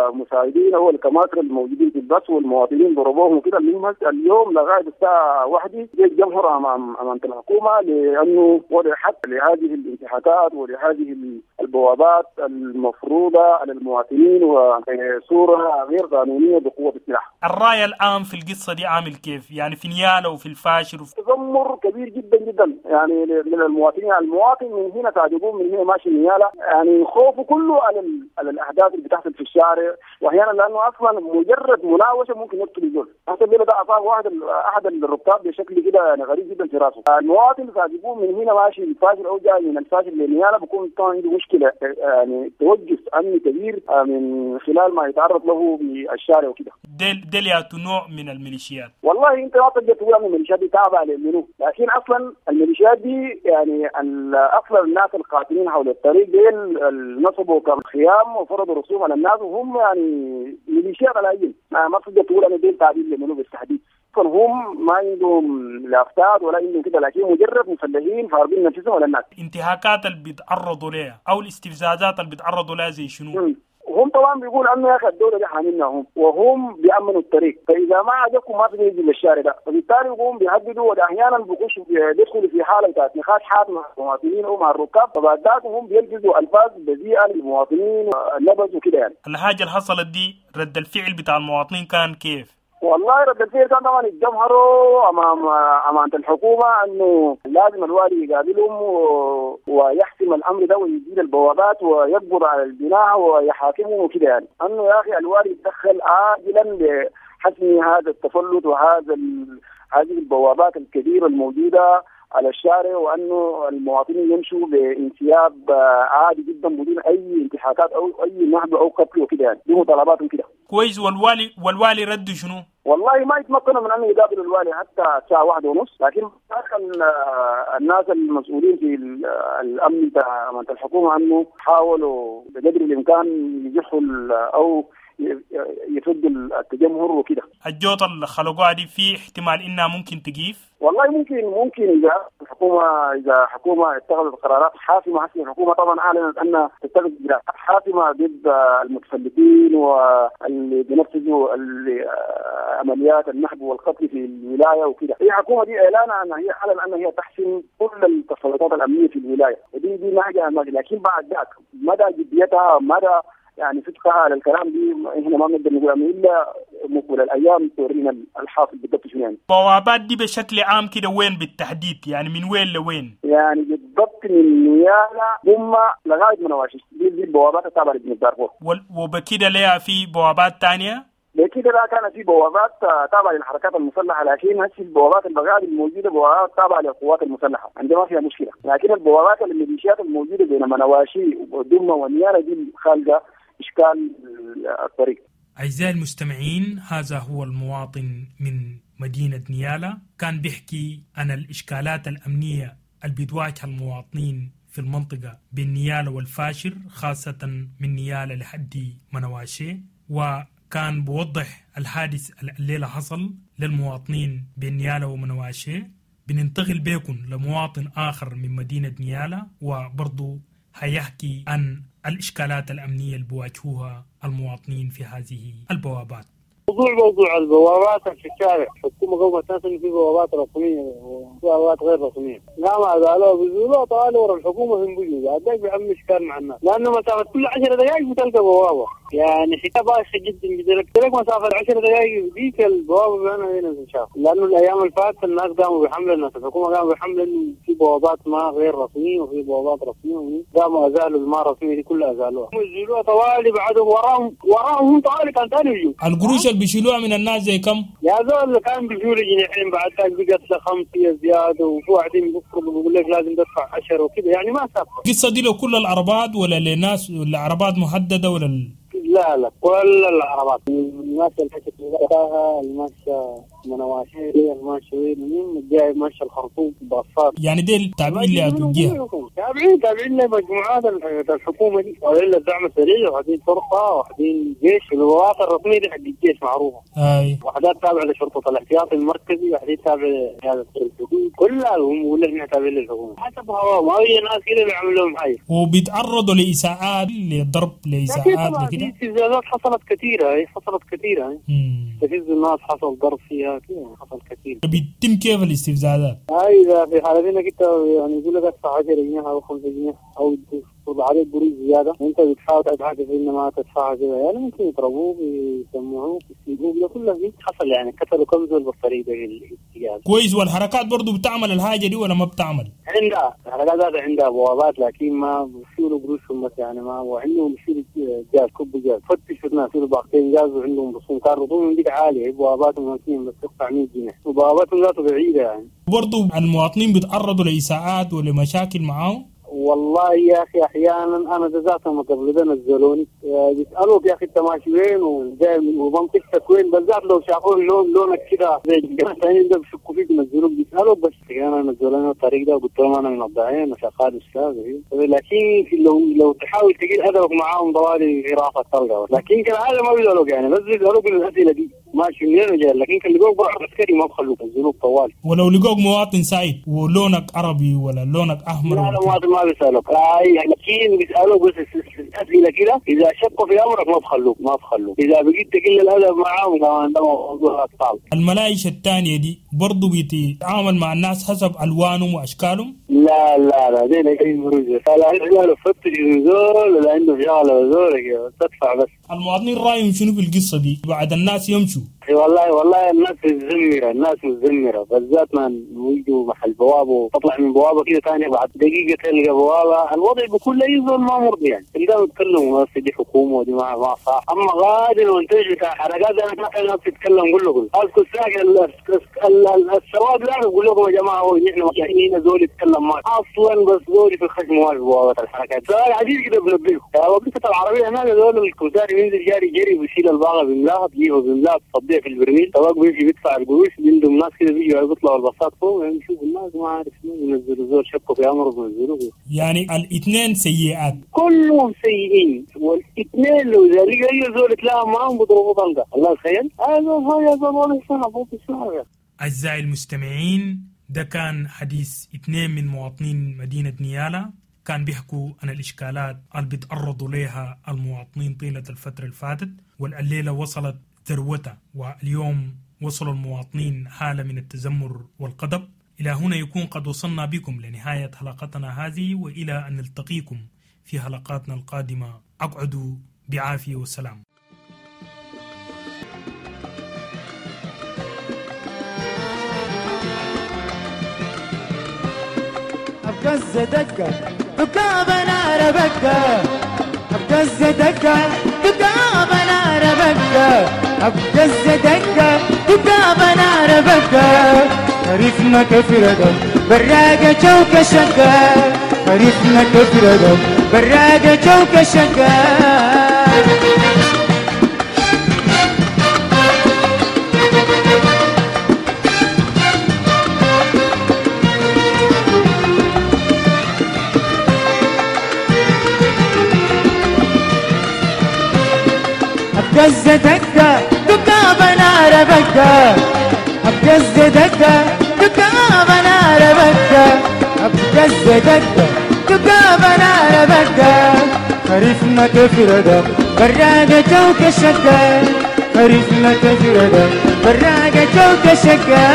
S4: المساعدين او الكماتر الموجودين في البس والمواطنين ضربوهم وكده. المهم اليوم لغايه الساعه 1 جاء الجمهور امام الحكومه لانه وضع حد لهذه الانتهاكات ولهذه البوابات المفروضه على المواطنين وصوره غير قانونيه بقوه السلاح.
S13: الراي العام في القصه دي عامل كيف؟ يعني في نيالا وفي الفاشر
S4: تذمر كبير جدا جدا يعني من المواطنين. المواطن من هنا قاعد يقوم من هنا ماشي نيالا، يعني خوفه كله على الاحداث اللي بتحصل في الشارع، واحيانا لانه اصلا مجرد مناوشه ممكن يقتل الزول. حتى الليلة ده اصاب احد الركاب بشكل كده يعني غريب جدا في راسه. المواطن قاعد يقوم من هنا ماشي الفاشر او جاي من الفاشر لنيالا بيكون طبعا عنده مشكلة، يعني توجس امني كبير من خلال ما يتعرض له بالشارع وكده.
S13: ديل ياتو نوع من الميليشيات؟
S4: والله انت ما تقدر تقول ان الميليشيات دي تابعه لمنو، لكن اصلا الميليشيات دي يعني اصلا الناس القاتلين حول الطريق ديل نصبوا كخيام وفرضوا رسوم على الناس، وهم يعني ميليشيات على اي ما تقدر تقول ان ديل تابعين لمنو بالتحديد. هم ما عندهم لافتات ولا عندهم كده، لكن مجرد مسلحين فارضين نفسهم على الناس.
S13: انتهاكات اللي بيتعرضوا لها او الاستفزازات اللي بيتعرضوا لها زي شنو؟
S4: هم طبعا بيقول انه يا اخي الدولة دي حاملنا هم، وهم بيامنوا الطريق، فاذا ما عجبكم ما تقدروا يجوا للشارع ده، فبالتالي يقوم بيهددوا، واحيانا بيخشوا بيدخلوا في حاله بتاعت نقاش حاد مع المواطنين او مع الركاب، فبعد ذاك هم بيلجزوا الفاظ بذيئة للمواطنين النبذ وكده يعني.
S13: الحاجة اللي حصلت دي رد الفعل بتاع المواطنين كان كيف؟
S4: والله رد الفعل كان طبعا اتجمهروا امام امانه الحكومة انه لازم الوالي يقابلهم ويحسم الامر ده ويزيل البوابات ويقبض على البناء ويحاكمهم وكده يعني، انه يا اخي الوالي يتدخل عاجلا لحسم هذا التفلت وهذا هذه البوابات الكبيرة الموجودة على الشارع، وانه المواطنين يمشوا بانسياب عادي جدا بدون اي انتهاكات او اي نهب او قتل وكده يعني، دي مطالباتهم كده.
S13: كويس. والوالي رد شنو؟
S4: والله ما يتمكنوا من ان يقابلوا الوالي حتى الساعة 1:30، لكن الناس المسؤولين في الامن بتاع الحكومة انه حاولوا بقدر الامكان يزحوا او يفضوا التجمهر وكده.
S13: الجوطه اللي خلقوها دي في احتمال انها ممكن تقيف؟
S4: والله ممكن اذا الحكومة اتخذت قرارات حاسمة. حسب الحكومة طبعا اعلنت انها تتخذ اجراءات حاسمة ضد المتفلتين واللي بينفذوا عمليات النهب والقتل في الولاية وكده. هي الحكومة دي اعلانها ان هي اعلن ان هي تحسم كل التسلطات الامنية في الولاية، ودي ما لكن بعد ذاك مدى جديتها مدى يعني صدقها على الكلام دي احنا ما بنقدر نقول الا مقبل الايام تورينا الحاصل بالضبط شنو يعني.
S13: البوابات دي بشكل عام كده وين بالتحديد؟ يعني من وين لوين؟
S4: يعني بالضبط من نيالا ثم لغاية منواشي، دي البوابات التابعة لجنوب دارفور.
S13: وبكده ليها في بوابات ثانية؟
S4: بكده لا كان في بوابات تابعه للحركات المسلحة، لكن هسه البوابات البغال الموجودة بوابات تابعه للقوات المسلحة، عندما ما فيها مشكلة، لكن البوابات الميليشيات الموجودة بين منواشي ودمه ونيالا دي خالقه إشكال الطريق.
S13: أعزائي المستمعين، هذا هو المواطن من مدينة نيالا، كان بيحكي عن الإشكالات الأمنية اللي بتواجه المواطنين في المنطقة بين نيالا والفاشر، خاصة من نيالا لحد منواشي، وكان بوضح الحادث الليلة حصل للمواطنين بين نيالا ومنواشي. بننتقل بيكم لمواطن آخر من مدينة نيالا، وبرضو هيحكي عن الإشكالات الأمنية اللي بواجهوها المواطنين في هذه البوابات.
S6: موضوع البوابات في الشارع، الحكومة قومت ناس إنه في بوابات رسمية وبوابات غير رسمية، قاموا أزالوها بيزولوها طوالي ورا الحكومة في بيجوا، بعد ذاك بيعملوا إشكال مع الناس، لأنه مسافة كل 10 دقائق بتلقى بوابة، يعني حكاية بايخة جدا جدا، لك مسافة 10 دقائق ديك البوابة بينها هنا تنشاف، لأنه الأيام اللي فاتت الناس قاموا بحملة، الناس الحكومة قاموا بحملة إنه في بوابات ما غير رسمية وفي بوابات رسمية، قاموا أزالوا الما رسمية دي كلها أزالوها، يزولوها طوالي بعدهم وراهم طوالي كان ثاني يجوا.
S13: القروش اللي بيشيلوها من الناس زي كم؟
S6: يا زول كان بيشيلوا جنيحين بعد ذاك بقت 5 زيادة، وفي واحدين بيفرضوا بيقول لك لازم تدفع 10 وكذا، يعني ما ثابتة.
S13: القصة دي لو كل العربات ولا لناس ولا عربات محددة ولا
S6: لا كل العربات الماشية الحكاية الماشية منواشي الماشية وين جاي ماشية الخرطوم باصات،
S13: يعني ديل تابعين لأتوجيها
S6: تابعين لمجموعات الحكومة دي، تابعين للدعم السريع وحدين شرطة وحدين جيش. البوابات الرسمية دي حق الجيش معروفة، وحدات تابعة لشرطة الاحتياط المركزي، وحدين تابعة لقيادة الحدود، كلها هم يقول لك احنا تابعين للحكومة حسب هواهم. هاي ناس كده بيعملوا لهم حاجة
S13: وبيتعرضوا لإساءات لضرب لإساءات لكده.
S6: استفزازات حصلت كثيرة، هي حصلت كثيرة، استفز الناس حصل ضرب فيها كده، حصل كثير.
S13: بيتم كيف الاستفزازات؟
S6: هاي إذا في حالة إنك أنت يعني يقول لك أدفع 10 جنيه أو 5 جنيه أو يفرض عليك قروش زيادة، انت بتحاول تحاسب انه ما تدفعها كده يعني ممكن يضربوك يسمعوك يسيبوك، ده كله في حصل يعني. قتلوا كم زول بالطريقة دي الاتجاه.
S13: كويس. والحركات برضو بتعمل الحاجة دي ولا ما بتعمل؟
S6: عندها الحركات ذاتها عندها بوابات، لكن ما بيشيلوا قروشهم بس يعني، ما وعندهم بيشيلوا جاز، كب جاز، فتشوا الناس يشيلوا باقتين جاز وعندهم رسوم، كان رسومهم ديك عالية، بواباتهم ممكن بس تقطع 100 جنيه، وبواباتهم ذاته بعيدة يعني.
S13: برضو المواطنين بيتعرضوا لإساءات ولمشاكل معاهم؟
S6: والله يا اخي احيانا انا ذاتهم قبل ده نزلوني بيسالوك يا اخي انت ماشي وين وجاي من ومنطقتك وين، بالذات لو شافوا اللون لونك كده زي الجماعة الثانيين ده بيشكوا فيك ينزلوك، بيسالوك بس انا نزلوني الطريق ده وقلت لهم انا من الضعين وشغال استاذ، لكن لو تحاول تقل ادبك معاهم ضوالي في راسك تلقى، لكن كالعادة ما بيسالوك يعني، بس بيسالوك الاسئلة دي ماشي منين وجاي، لكن كان لقوك بقى عسكري ما بخلوك ينزلوك طوال.
S13: ولو لقوك مواطن سعيد ولونك عربي ولا لونك احمر؟
S6: لا لا مواطن ما بيسالوك، لكن بيسالوك بس اسئلة كده، اذا شكوا في امرك ما بخلوك، ما بخلوك، اذا بقيت تقل الادب معاهم كمان ده موضوع اطفال.
S13: الملايش الثانية دي برضه بتتعامل مع الناس حسب الوانهم واشكالهم؟
S6: لا لا لا زي لا بروز، لا لا فتش زول ولا عنده شغله زول تدفع بس.
S13: المواطنين رايهم شنو في القصة دي بعد الناس يمشوا؟
S6: والله والله الناس متذمره، الناس متذمره، بالذات ما يجوا محل بوابه وتطلع من بوابه كده ثانية بعد دقيقة تلقى بوابه، الوضع بكل اي زول ما مرضي يعني، تلقاهم يتكلموا بس دي حكومة ودي ما صح، اما غادي وانتج بتاع حركات انا ما الناس تتكلم كله اسكت ساكن السواد لا بقول لكم يا جماعة هو نحن هنا زول يتكلم ما اصلا، بس زول في الخشم ما في بوابه الحركات، سؤال عجيب كده بنبهكم، وقفه العربية هناك زول الكمساري بينزل جاري جري بيشيل الباغه بيملاها بيجيبها بيملاها بتصديها في البرميل، سواق بيمشي بيدفع القروش، بيندم ناس كده بيجوا بيطلعوا الباصات فوق يعني يشوفوا الناس ما عارف شنو بينزلوا زول شكوا في امره بينزلوه.
S13: يعني الاثنين سيئات
S6: كلهم سيئين، والاثنين لو اذا لقى اي زول اتلاقى معاهم بيضربوا طلقه، الله تخيل هذا زول صعب.
S13: أعزائي المستمعين، ده كان حديث اثنين من مواطنين مدينة نيالا، كان بيحكوا عن الإشكالات اللي بيتعرضوا لها المواطنين طيلة الفترة اللي فاتت، والليلة وصلت ذروتها، واليوم وصلوا المواطنين حالة من التذمر والغضب. إلى هنا يكون قد وصلنا بكم لنهاية حلقتنا هذه، وإلى أن نلتقيكم في حلقاتنا القادمة، أقعدوا بعافية وسلام.
S14: أبقز دقة دقابة نار بقة، أبقز دقة دقابة نار بقة، أبقز دقة دقابة نار بقة، عرفنا كفردة براقة جوكة شقة، عرفنا كفردة براقة جوكة شقة. أبقز دقة دقابة نار بقة، أبقز دقة دقابة نار بقة، أبقز دقة دقابة نار بقة، خريفنا كفردة براقة جوكة شقة، خريفنا كفردة براقة جوكة شقة.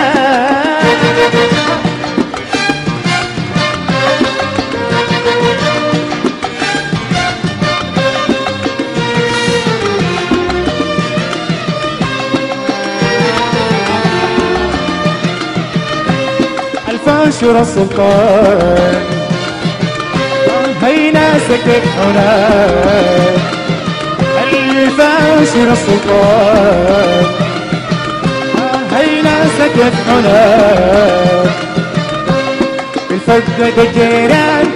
S14: الفاشر السلطان هينا سكت هناك، الفاشر السلطان هينا سكت هناك، الفقد الجيران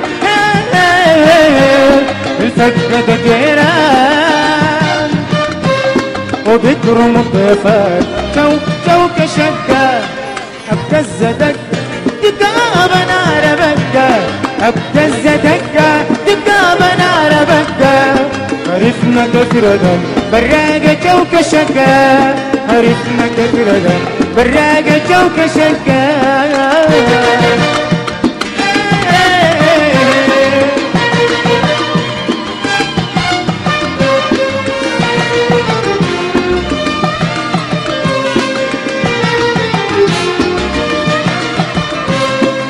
S14: الفقد الجيران، وبكرم الضيفان جو جوك شقة، أبتز دقة دقابة نار بقة، أبتز دقة دقابة نار بقة، عرفنا كفردة براقة جوكة شقة، عرفنا كفردة براقة جوكة شقة.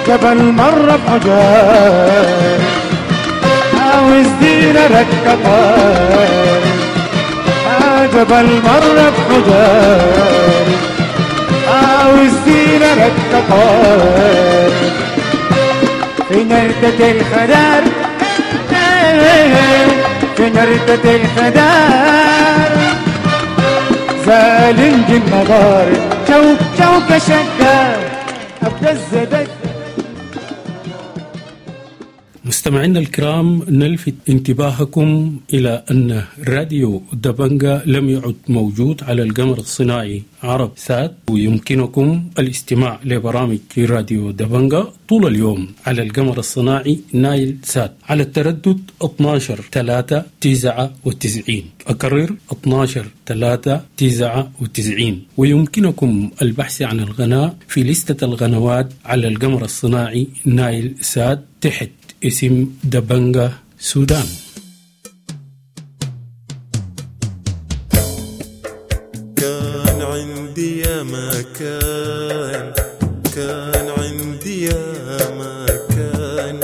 S14: جبل مرة بعجال عاوز دينا ركبان جبل مرة بحجار عاوز دينا ركبان في نردة الخدار في نردة الخدار زالنج النضار شوك شوك شقار أبدا الزدك.
S10: مستمعينا الكرام، نلفت انتباهكم إلى أن راديو دبنجا لم يعد موجود على القمر الصناعي عرب سات، ويمكنكم الاستماع لبرامج راديو دبنجا طول اليوم على القمر الصناعي نايل سات على التردد 12/3/99. أكرر 12/3/99. ويمكنكم البحث عن القناة في لستة القنوات على القمر الصناعي نايل سات تحت اسم دبنجا سودان.
S1: كان عندي يا ما كان، كان عندي يا ما كان،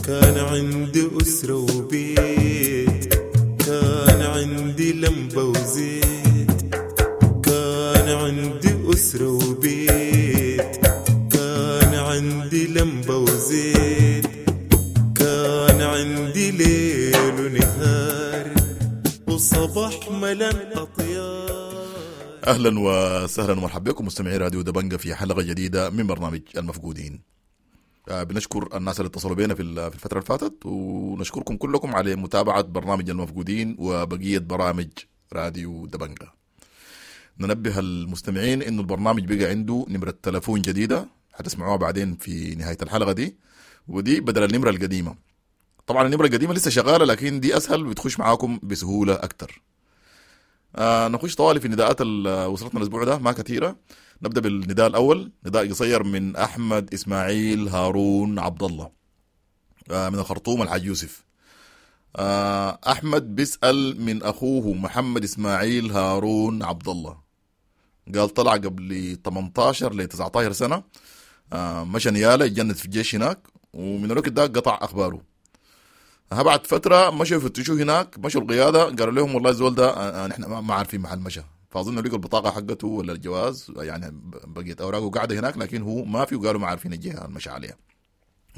S1: كان عندي أسرة وبيت، كان عندي لمبة وزيت، كان عندي أسرة وبيت، كان عندي لمبة وزيت، كان عندي ليل ونهار وصباح ملان أطيار.
S15: أهلا وسهلا ومرحبا بكم مستمعي راديو دبنجا في حلقة جديدة من برنامج المفقودين. بنشكر الناس اللي اتصلوا بينا في الفترة اللي فاتت، ونشكركم كلكم على متابعة برنامج المفقودين وبقية برامج راديو دبنجا. ننبه المستمعين إنه البرنامج بقى عنده نمرة تلفون جديدة هتسمعوها بعدين في نهاية الحلقة دي، ودي بدل النمرة القديمة. طبعا النمرة القديمة لسه شغالة، لكن دي أسهل بتخش معاكم بسهولة أكتر. نخش طوالي في النداءات اللي وصلتنا الأسبوع ده، ما كثيرة. نبدأ بالنداء الأول، نداء قصير من أحمد إسماعيل هارون عبد الله من الخرطوم الحاج يوسف. أحمد بيسأل من أخوه محمد إسماعيل هارون عبد الله، قال طلع قبل 18 ل 19 سنة، مشى نيالة يتجند في الجيش هناك، ومن الوقت ده قطع أخباره. بعد فترة مشوا يفتشوه هناك، مشوا القيادة قالوا لهم والله الزول ده نحن ما عارفين محل مشى، فأظن لقوا البطاقة حقته ولا الجواز، يعني بقيت أوراقه قاعدة هناك لكن هو ما في، وقالوا ما عارفين الجهة المشى عليها.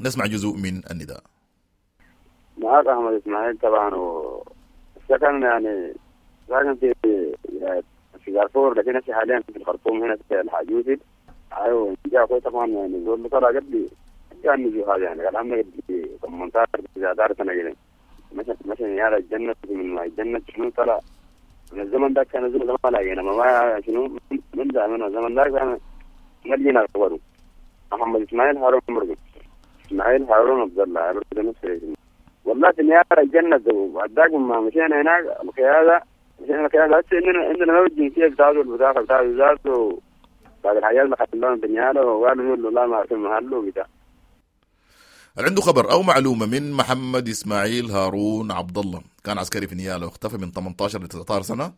S15: نسمع جزء من النداء.
S8: معاك أحمد إسماعيل طبعا، والسكن يعني ساكن في دارفور، لكن هسه حاليا في الخرطوم هنا في الحاج يوسف. أيوه جاء أخوي طبعا يعني زول طلع قبلي كان نجي هذا يعني قال عمي قبل 18 19 سنة كده مشى نيالة الجنة، من ما الجنة شنو طلع من الزمن ده كان الزمن ده ما لاقينا ما شنو من زمان الزمن ده كان ما لقينا خبره. محمد إسماعيل هارون مرقم إسماعيل هارون عبد الله برضه نفس الاسم. والله في نيالة الجنة وعداك ما مشينا هناك القيادة، مشينا القيادة هسه عندنا ما الجنسية بتاعته البطاقة بتاعته ذاته بعد الحياة اللي خلاهم في نيالة، وقالوا له لا ما عارفين محله وبتاع.
S15: اللي عنده خبر أو معلومة من محمد إسماعيل هارون عبد الله، كان عسكري في نيالة واختفى من 18 ل 19 سنة،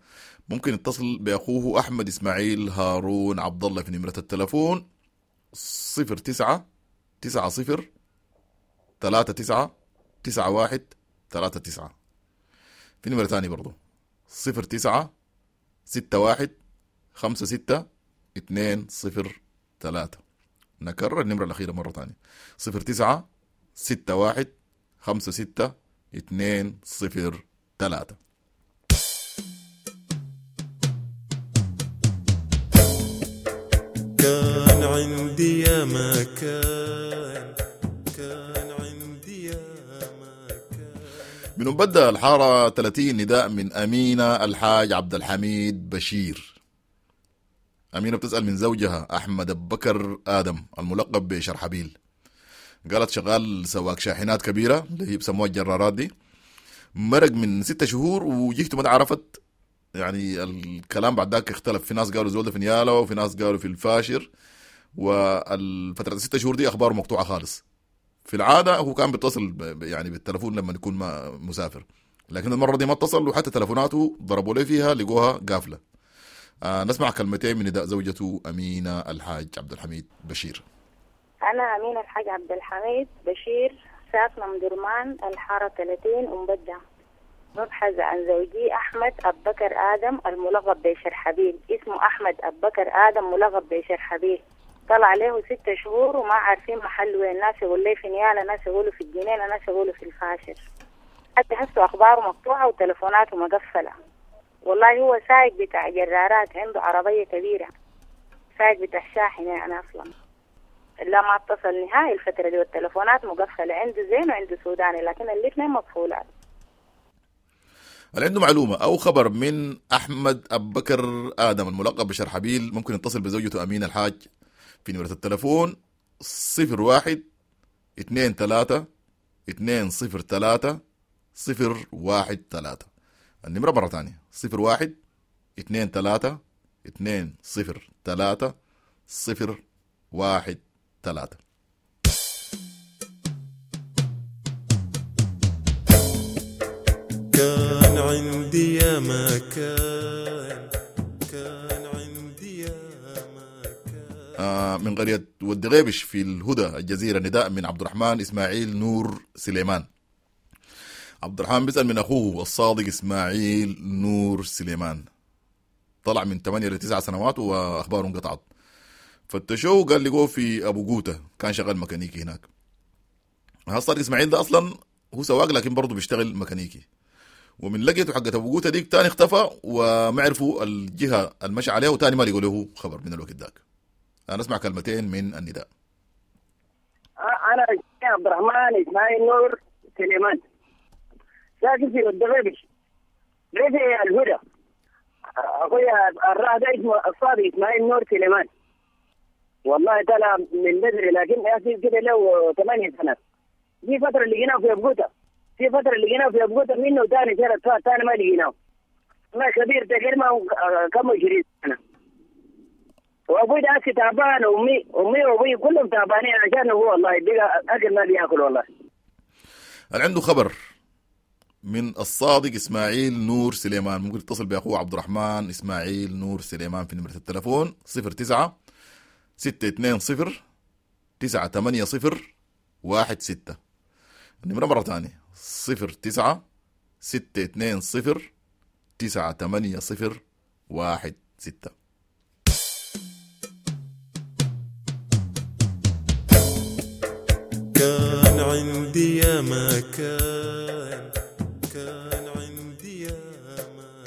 S15: ممكن يتصل بأخوه أحمد إسماعيل هارون عبد الله في نمرة التلفون 09 90 39 91 39. في نمرة ثانية برضو 09 61 56 203. نكرر النمرة الأخيرة مرة ثانية 09 61 56 203.
S1: كان عندي يا ما كان، كان عندي يا ما كان.
S15: من بدأ الحارة 30 نداء من أمينة الحاج عبد الحميد بشير. أمينة بتسأل من زوجها أحمد بكر آدم الملقب بشرحبيل، قالت شغال سواق شاحنات كبيرة اللي هي بسموها الجرارات دي، مرق من 6 شهور وجهته ما عرفت، يعني الكلام بعد ذاك اختلف، في ناس قالوا زولده في نيالة وفي ناس قالوا في الفاشر، والفترة 6 شهور دي أخباره مقطوعة خالص. في العادة هو كان بيتصل يعني بالتلفون لما يكون ما مسافر، لكن المرة دي ما اتصل، وحتى تلفوناته ضربوا له فيها لقوها قافلة. نسمع كلمتين من نداء زوجته أمينة الحاج عبد الحميد بشير.
S16: أنا أمينة الحاج عبد الحميد بشير، ساكنة مدرمان الحارة 30 أم بدة. ببحث عن زوجي أحمد أبو بكر آدم الملقب بشرحبيل. اسمه أحمد أبو بكر آدم ملقب بشرحبيل. طلع له 6 شهور وما عارفين محل وين. ناس يقول لي في نيالا، ناس يقولوا في الجنينة، ناس يقولوا في الفاشر. حتى هسه أخباره مقطوعة وتلفوناته مقفلة. والله هو سايق بتاع جرارات، عنده عربية كبيرة، سايق بتاع شاحنة يعني أصلا. لا ما اتصل نهائي الفترة دي، والتلفونات مقفلة، عنده زين وعنده سوداني لكن الاثنين مقفولات.
S15: اللي عنده معلومة أو خبر من أحمد أبو بكر آدم الملقب بشرحبيل ممكن يتصل بزوجته أمينة الحاج في نمرة التلفون 01 23 203 013. النمرة مرة ثانية 01 23 203 013.
S1: كان عندي يا ما كان، كان عندي يا ما كان.
S15: من قرية ود غيبش في الهدى الجزيرة نداء من عبد الرحمن إسماعيل نور سليمان. عبد الرحمن بيسأل من أخوه الصادق إسماعيل نور سليمان، طلع من 8 ل 9 سنوات وأخباره انقطعت. فتشوه قال لقوه في أبو قوتة، كان شغال ميكانيكي هناك. الصادق إسماعيل ده أصلا هو سواق لكن برضه بيشتغل ميكانيكي، ومن لقيته حقت أبو قوتة ديك تاني اختفى وما عرفوا الجهة المشى عليها، وتاني ما لقوا له خبر من الوقت ذاك. أنا أسمع كلمتين من النداء.
S17: أنا عبد الرحمن إسماعيل نور سليمان، ساكن في الدغيبش ريف الهدى. أخويا الراه ده اسمه الصادق إسماعيل نور سليمان. والله طلع من بدري لكن يا أخي كده له 8 سنوات. في فترة لقيناه في أبو قوتة، في فترة لقيناه في أبو قوتة منه ثاني سنة ثاني ما لقيناه. ما كبير تقريبا كم 20 سنة. وأبوي ده أكل تعبان، وأمي وأبوي كلهم تعبانين عشان هو والله بقى أكل ما بياكل والله.
S15: اللي عنده خبر من الصادق إسماعيل نور سليمان ممكن يتصل بأخوه عبد الرحمن إسماعيل نور سليمان في نمرة التلفون 09 620 980 16. النمرة مرة ثانية 09 620 980 16.
S1: كان عندي يا ما كان، كان عندي يا ما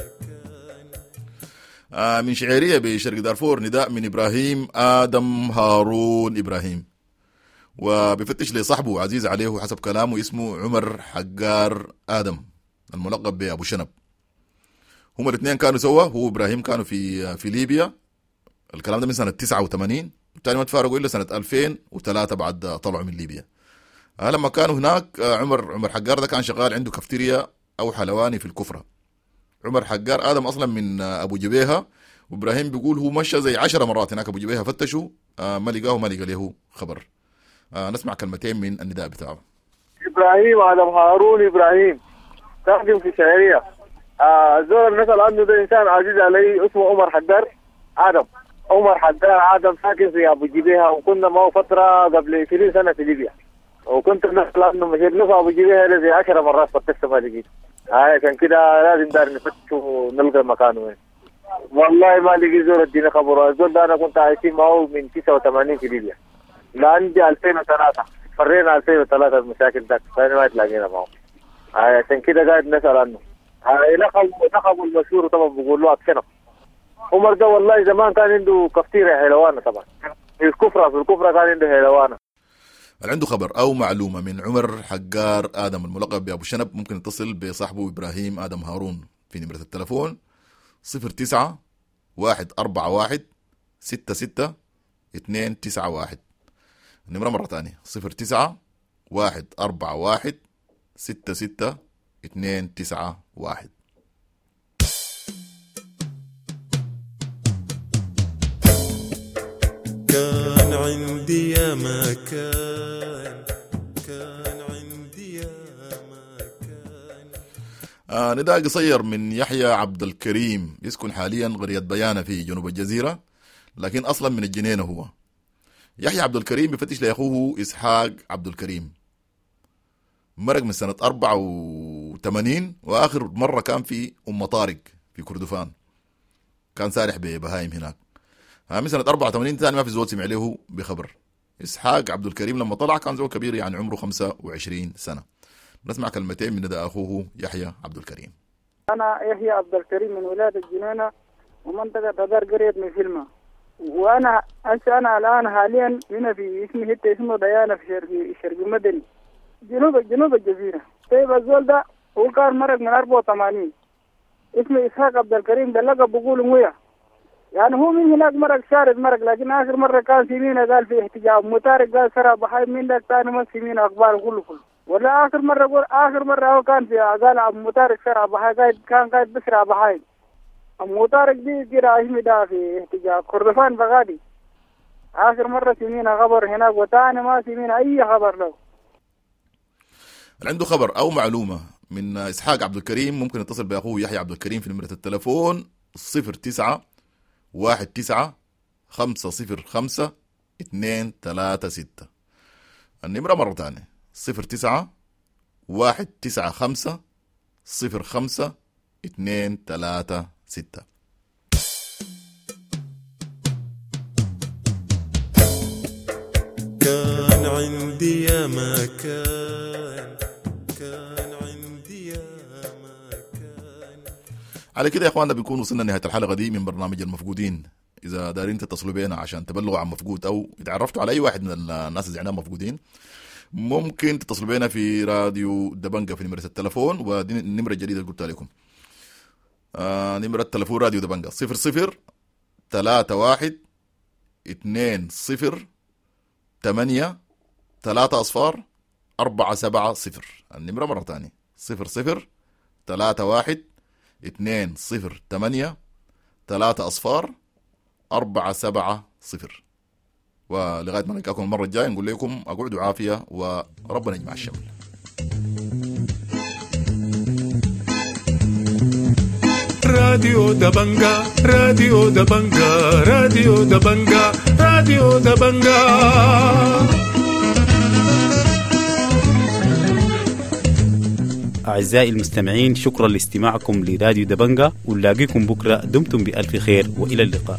S1: كان.
S15: من شعيرية بشرق دارفور نداء من إبراهيم آدم هارون إبراهيم، وبيفتش لصاحبه عزيز عليه حسب كلامه اسمه عمر حقار آدم الملقب بأبو شنب. هما الاثنين كانوا سوا، هو إبراهيم كانوا في ليبيا، الكلام ده من سنة 89، الثاني ما تفارقوا إلا سنة 2003 بعد طلعوا من ليبيا. لما كانوا هناك عمر حقار ده كان شغال عنده كافتيريا أو حلواني في الكفرة. عمر حقار آدم أصلا من أبو جبيهة، وإبراهيم بيقول هو مشى زي 10 مرات هناك أبو جبيهة فتشوا، ما لقاه ما لقى له خبر. نسمع كلمتين من النداء بتاعه.
S6: إبراهيم آدم هارون إبراهيم، ساكن في شعرية. الزول اللي نسأل عنه ده إنسان عزيز علي اسمه عمر حقار آدم. عمر حقار آدم ساكن في أبو جبيهة، وكنا معه فترة قبل 20 سنة في ليبيا، وكنت بنسأل عنه مشيت له في أبو جبيهة زي 10 مرات فتشت ما لقيته. عشان كده لازم دار نفتش ونلقى مكانه وين. والله ما لقي زول اديني خبره. الزول ده أنا كنت عايشين معه من 89 في ليبيا، لعندي 2003 فرينا 2003 المشاكل ذاك، فأنا ما تلاقينا معه. عشان كده قاعد نسأل عنه. لقبه المشهور طبعا بيقول له أبشنب. عمر ده والله زمان كان عنده كفتيرة حلوانة طبعا في الكفرة كان عنده حلوانة.
S15: اللي عنده خبر أو معلومة من عمر حقار آدم الملقب بأبو شنب ممكن يتصل بصاحبه إبراهيم آدم هارون في نمرة التلفون 09 141 66 291. النمرة مرة ثانية 09 141 66 291.
S1: كان عندي يا ما كان، كان عندي يا ما كان.
S15: نداء قصير من يحيى عبد الكريم، يسكن حاليا قرية بيانة في جنوب الجزيرة لكن أصلا من الجنينة. هو يحيى عبد الكريم بفتش لأخوه إسحاق عبد الكريم. مرق من سنة 84، وآخر مرة كان في أم طارق في كردفان، كان سارح ببهايم هناك. من سنة 84 ثاني ما في زول سمع له بخبر. إسحاق عبد الكريم لما طلع كان زول كبير، يعني عمره 25 سنة. نسمع كلمتين من ندى أخوه يحيى عبد الكريم.
S6: أنا يحيى عبد الكريم من ولاية الجنينة ومنطقة تدار قرية من فيلما، وأنا أنا الآن حاليا هنا في اسمي حتة اسمه ديانة في شرق مدني جنوب الجزيرة. طيب الزول ده هو كان مرق من 84، اسمه إسحاق عبد الكريم، ده لقب بقولوا مويا، يعني هو من هناك مرق شارد مرق، لكن آخر مرة كان سمينا قال في احتجاج متارك قال سرى بحي من ذاك ثاني ما سمينا أخبار كله كله. ولا آخر مرة قول آخر مرة هو كان في قال أبو متارك سرى بحي كان قاعد بسرى بحي أبو متارك دي كده اسمه ده في احتجاج كردفان بغادي. آخر مرة سمينا خبر هناك وثاني ما سمينا أي خبر له.
S15: اللي عنده خبر أو معلومة من إسحاق عبد الكريم ممكن يتصل بأخوه يحيى عبد الكريم في نمرة التلفون 09 19 505 236. النمرة مرة تانية 09 195 05 236.
S1: كان عندي يا ما كان، كان عندي يا ما كان.
S15: على كده يا اخواننا بنكون وصلنا لنهاية الحلقة دي من برنامج المفقودين. اذا دارين تتصلوا بينا عشان تبلغوا عن مفقود او اتعرفتوا على اي واحد من الناس اللي عندنا مفقودين، ممكن تتصلوا بينا في راديو دبنجة في نمرة التلفون، ودي النمرة الجديدة اللي قلتها لكم. نمرة التلفون راديو دبنجة 00 31 20 8 3 0 4 7 0. النمرة مرة تانية 00 31 20 8 3 0 4 7 0. ولغاية ما نلقاكم المرة الجاية نقول لكم أقعدوا عافية وربنا يجمع الشمل.
S1: راديو دبنجا، راديو دبنجا، راديو دبنجا، راديو دبنجا.
S12: أعزائي المستمعين، شكرا لاستماعكم لراديو دبنجا، ونلاقيكم بكرة. دمتم بألف خير وإلى اللقاء.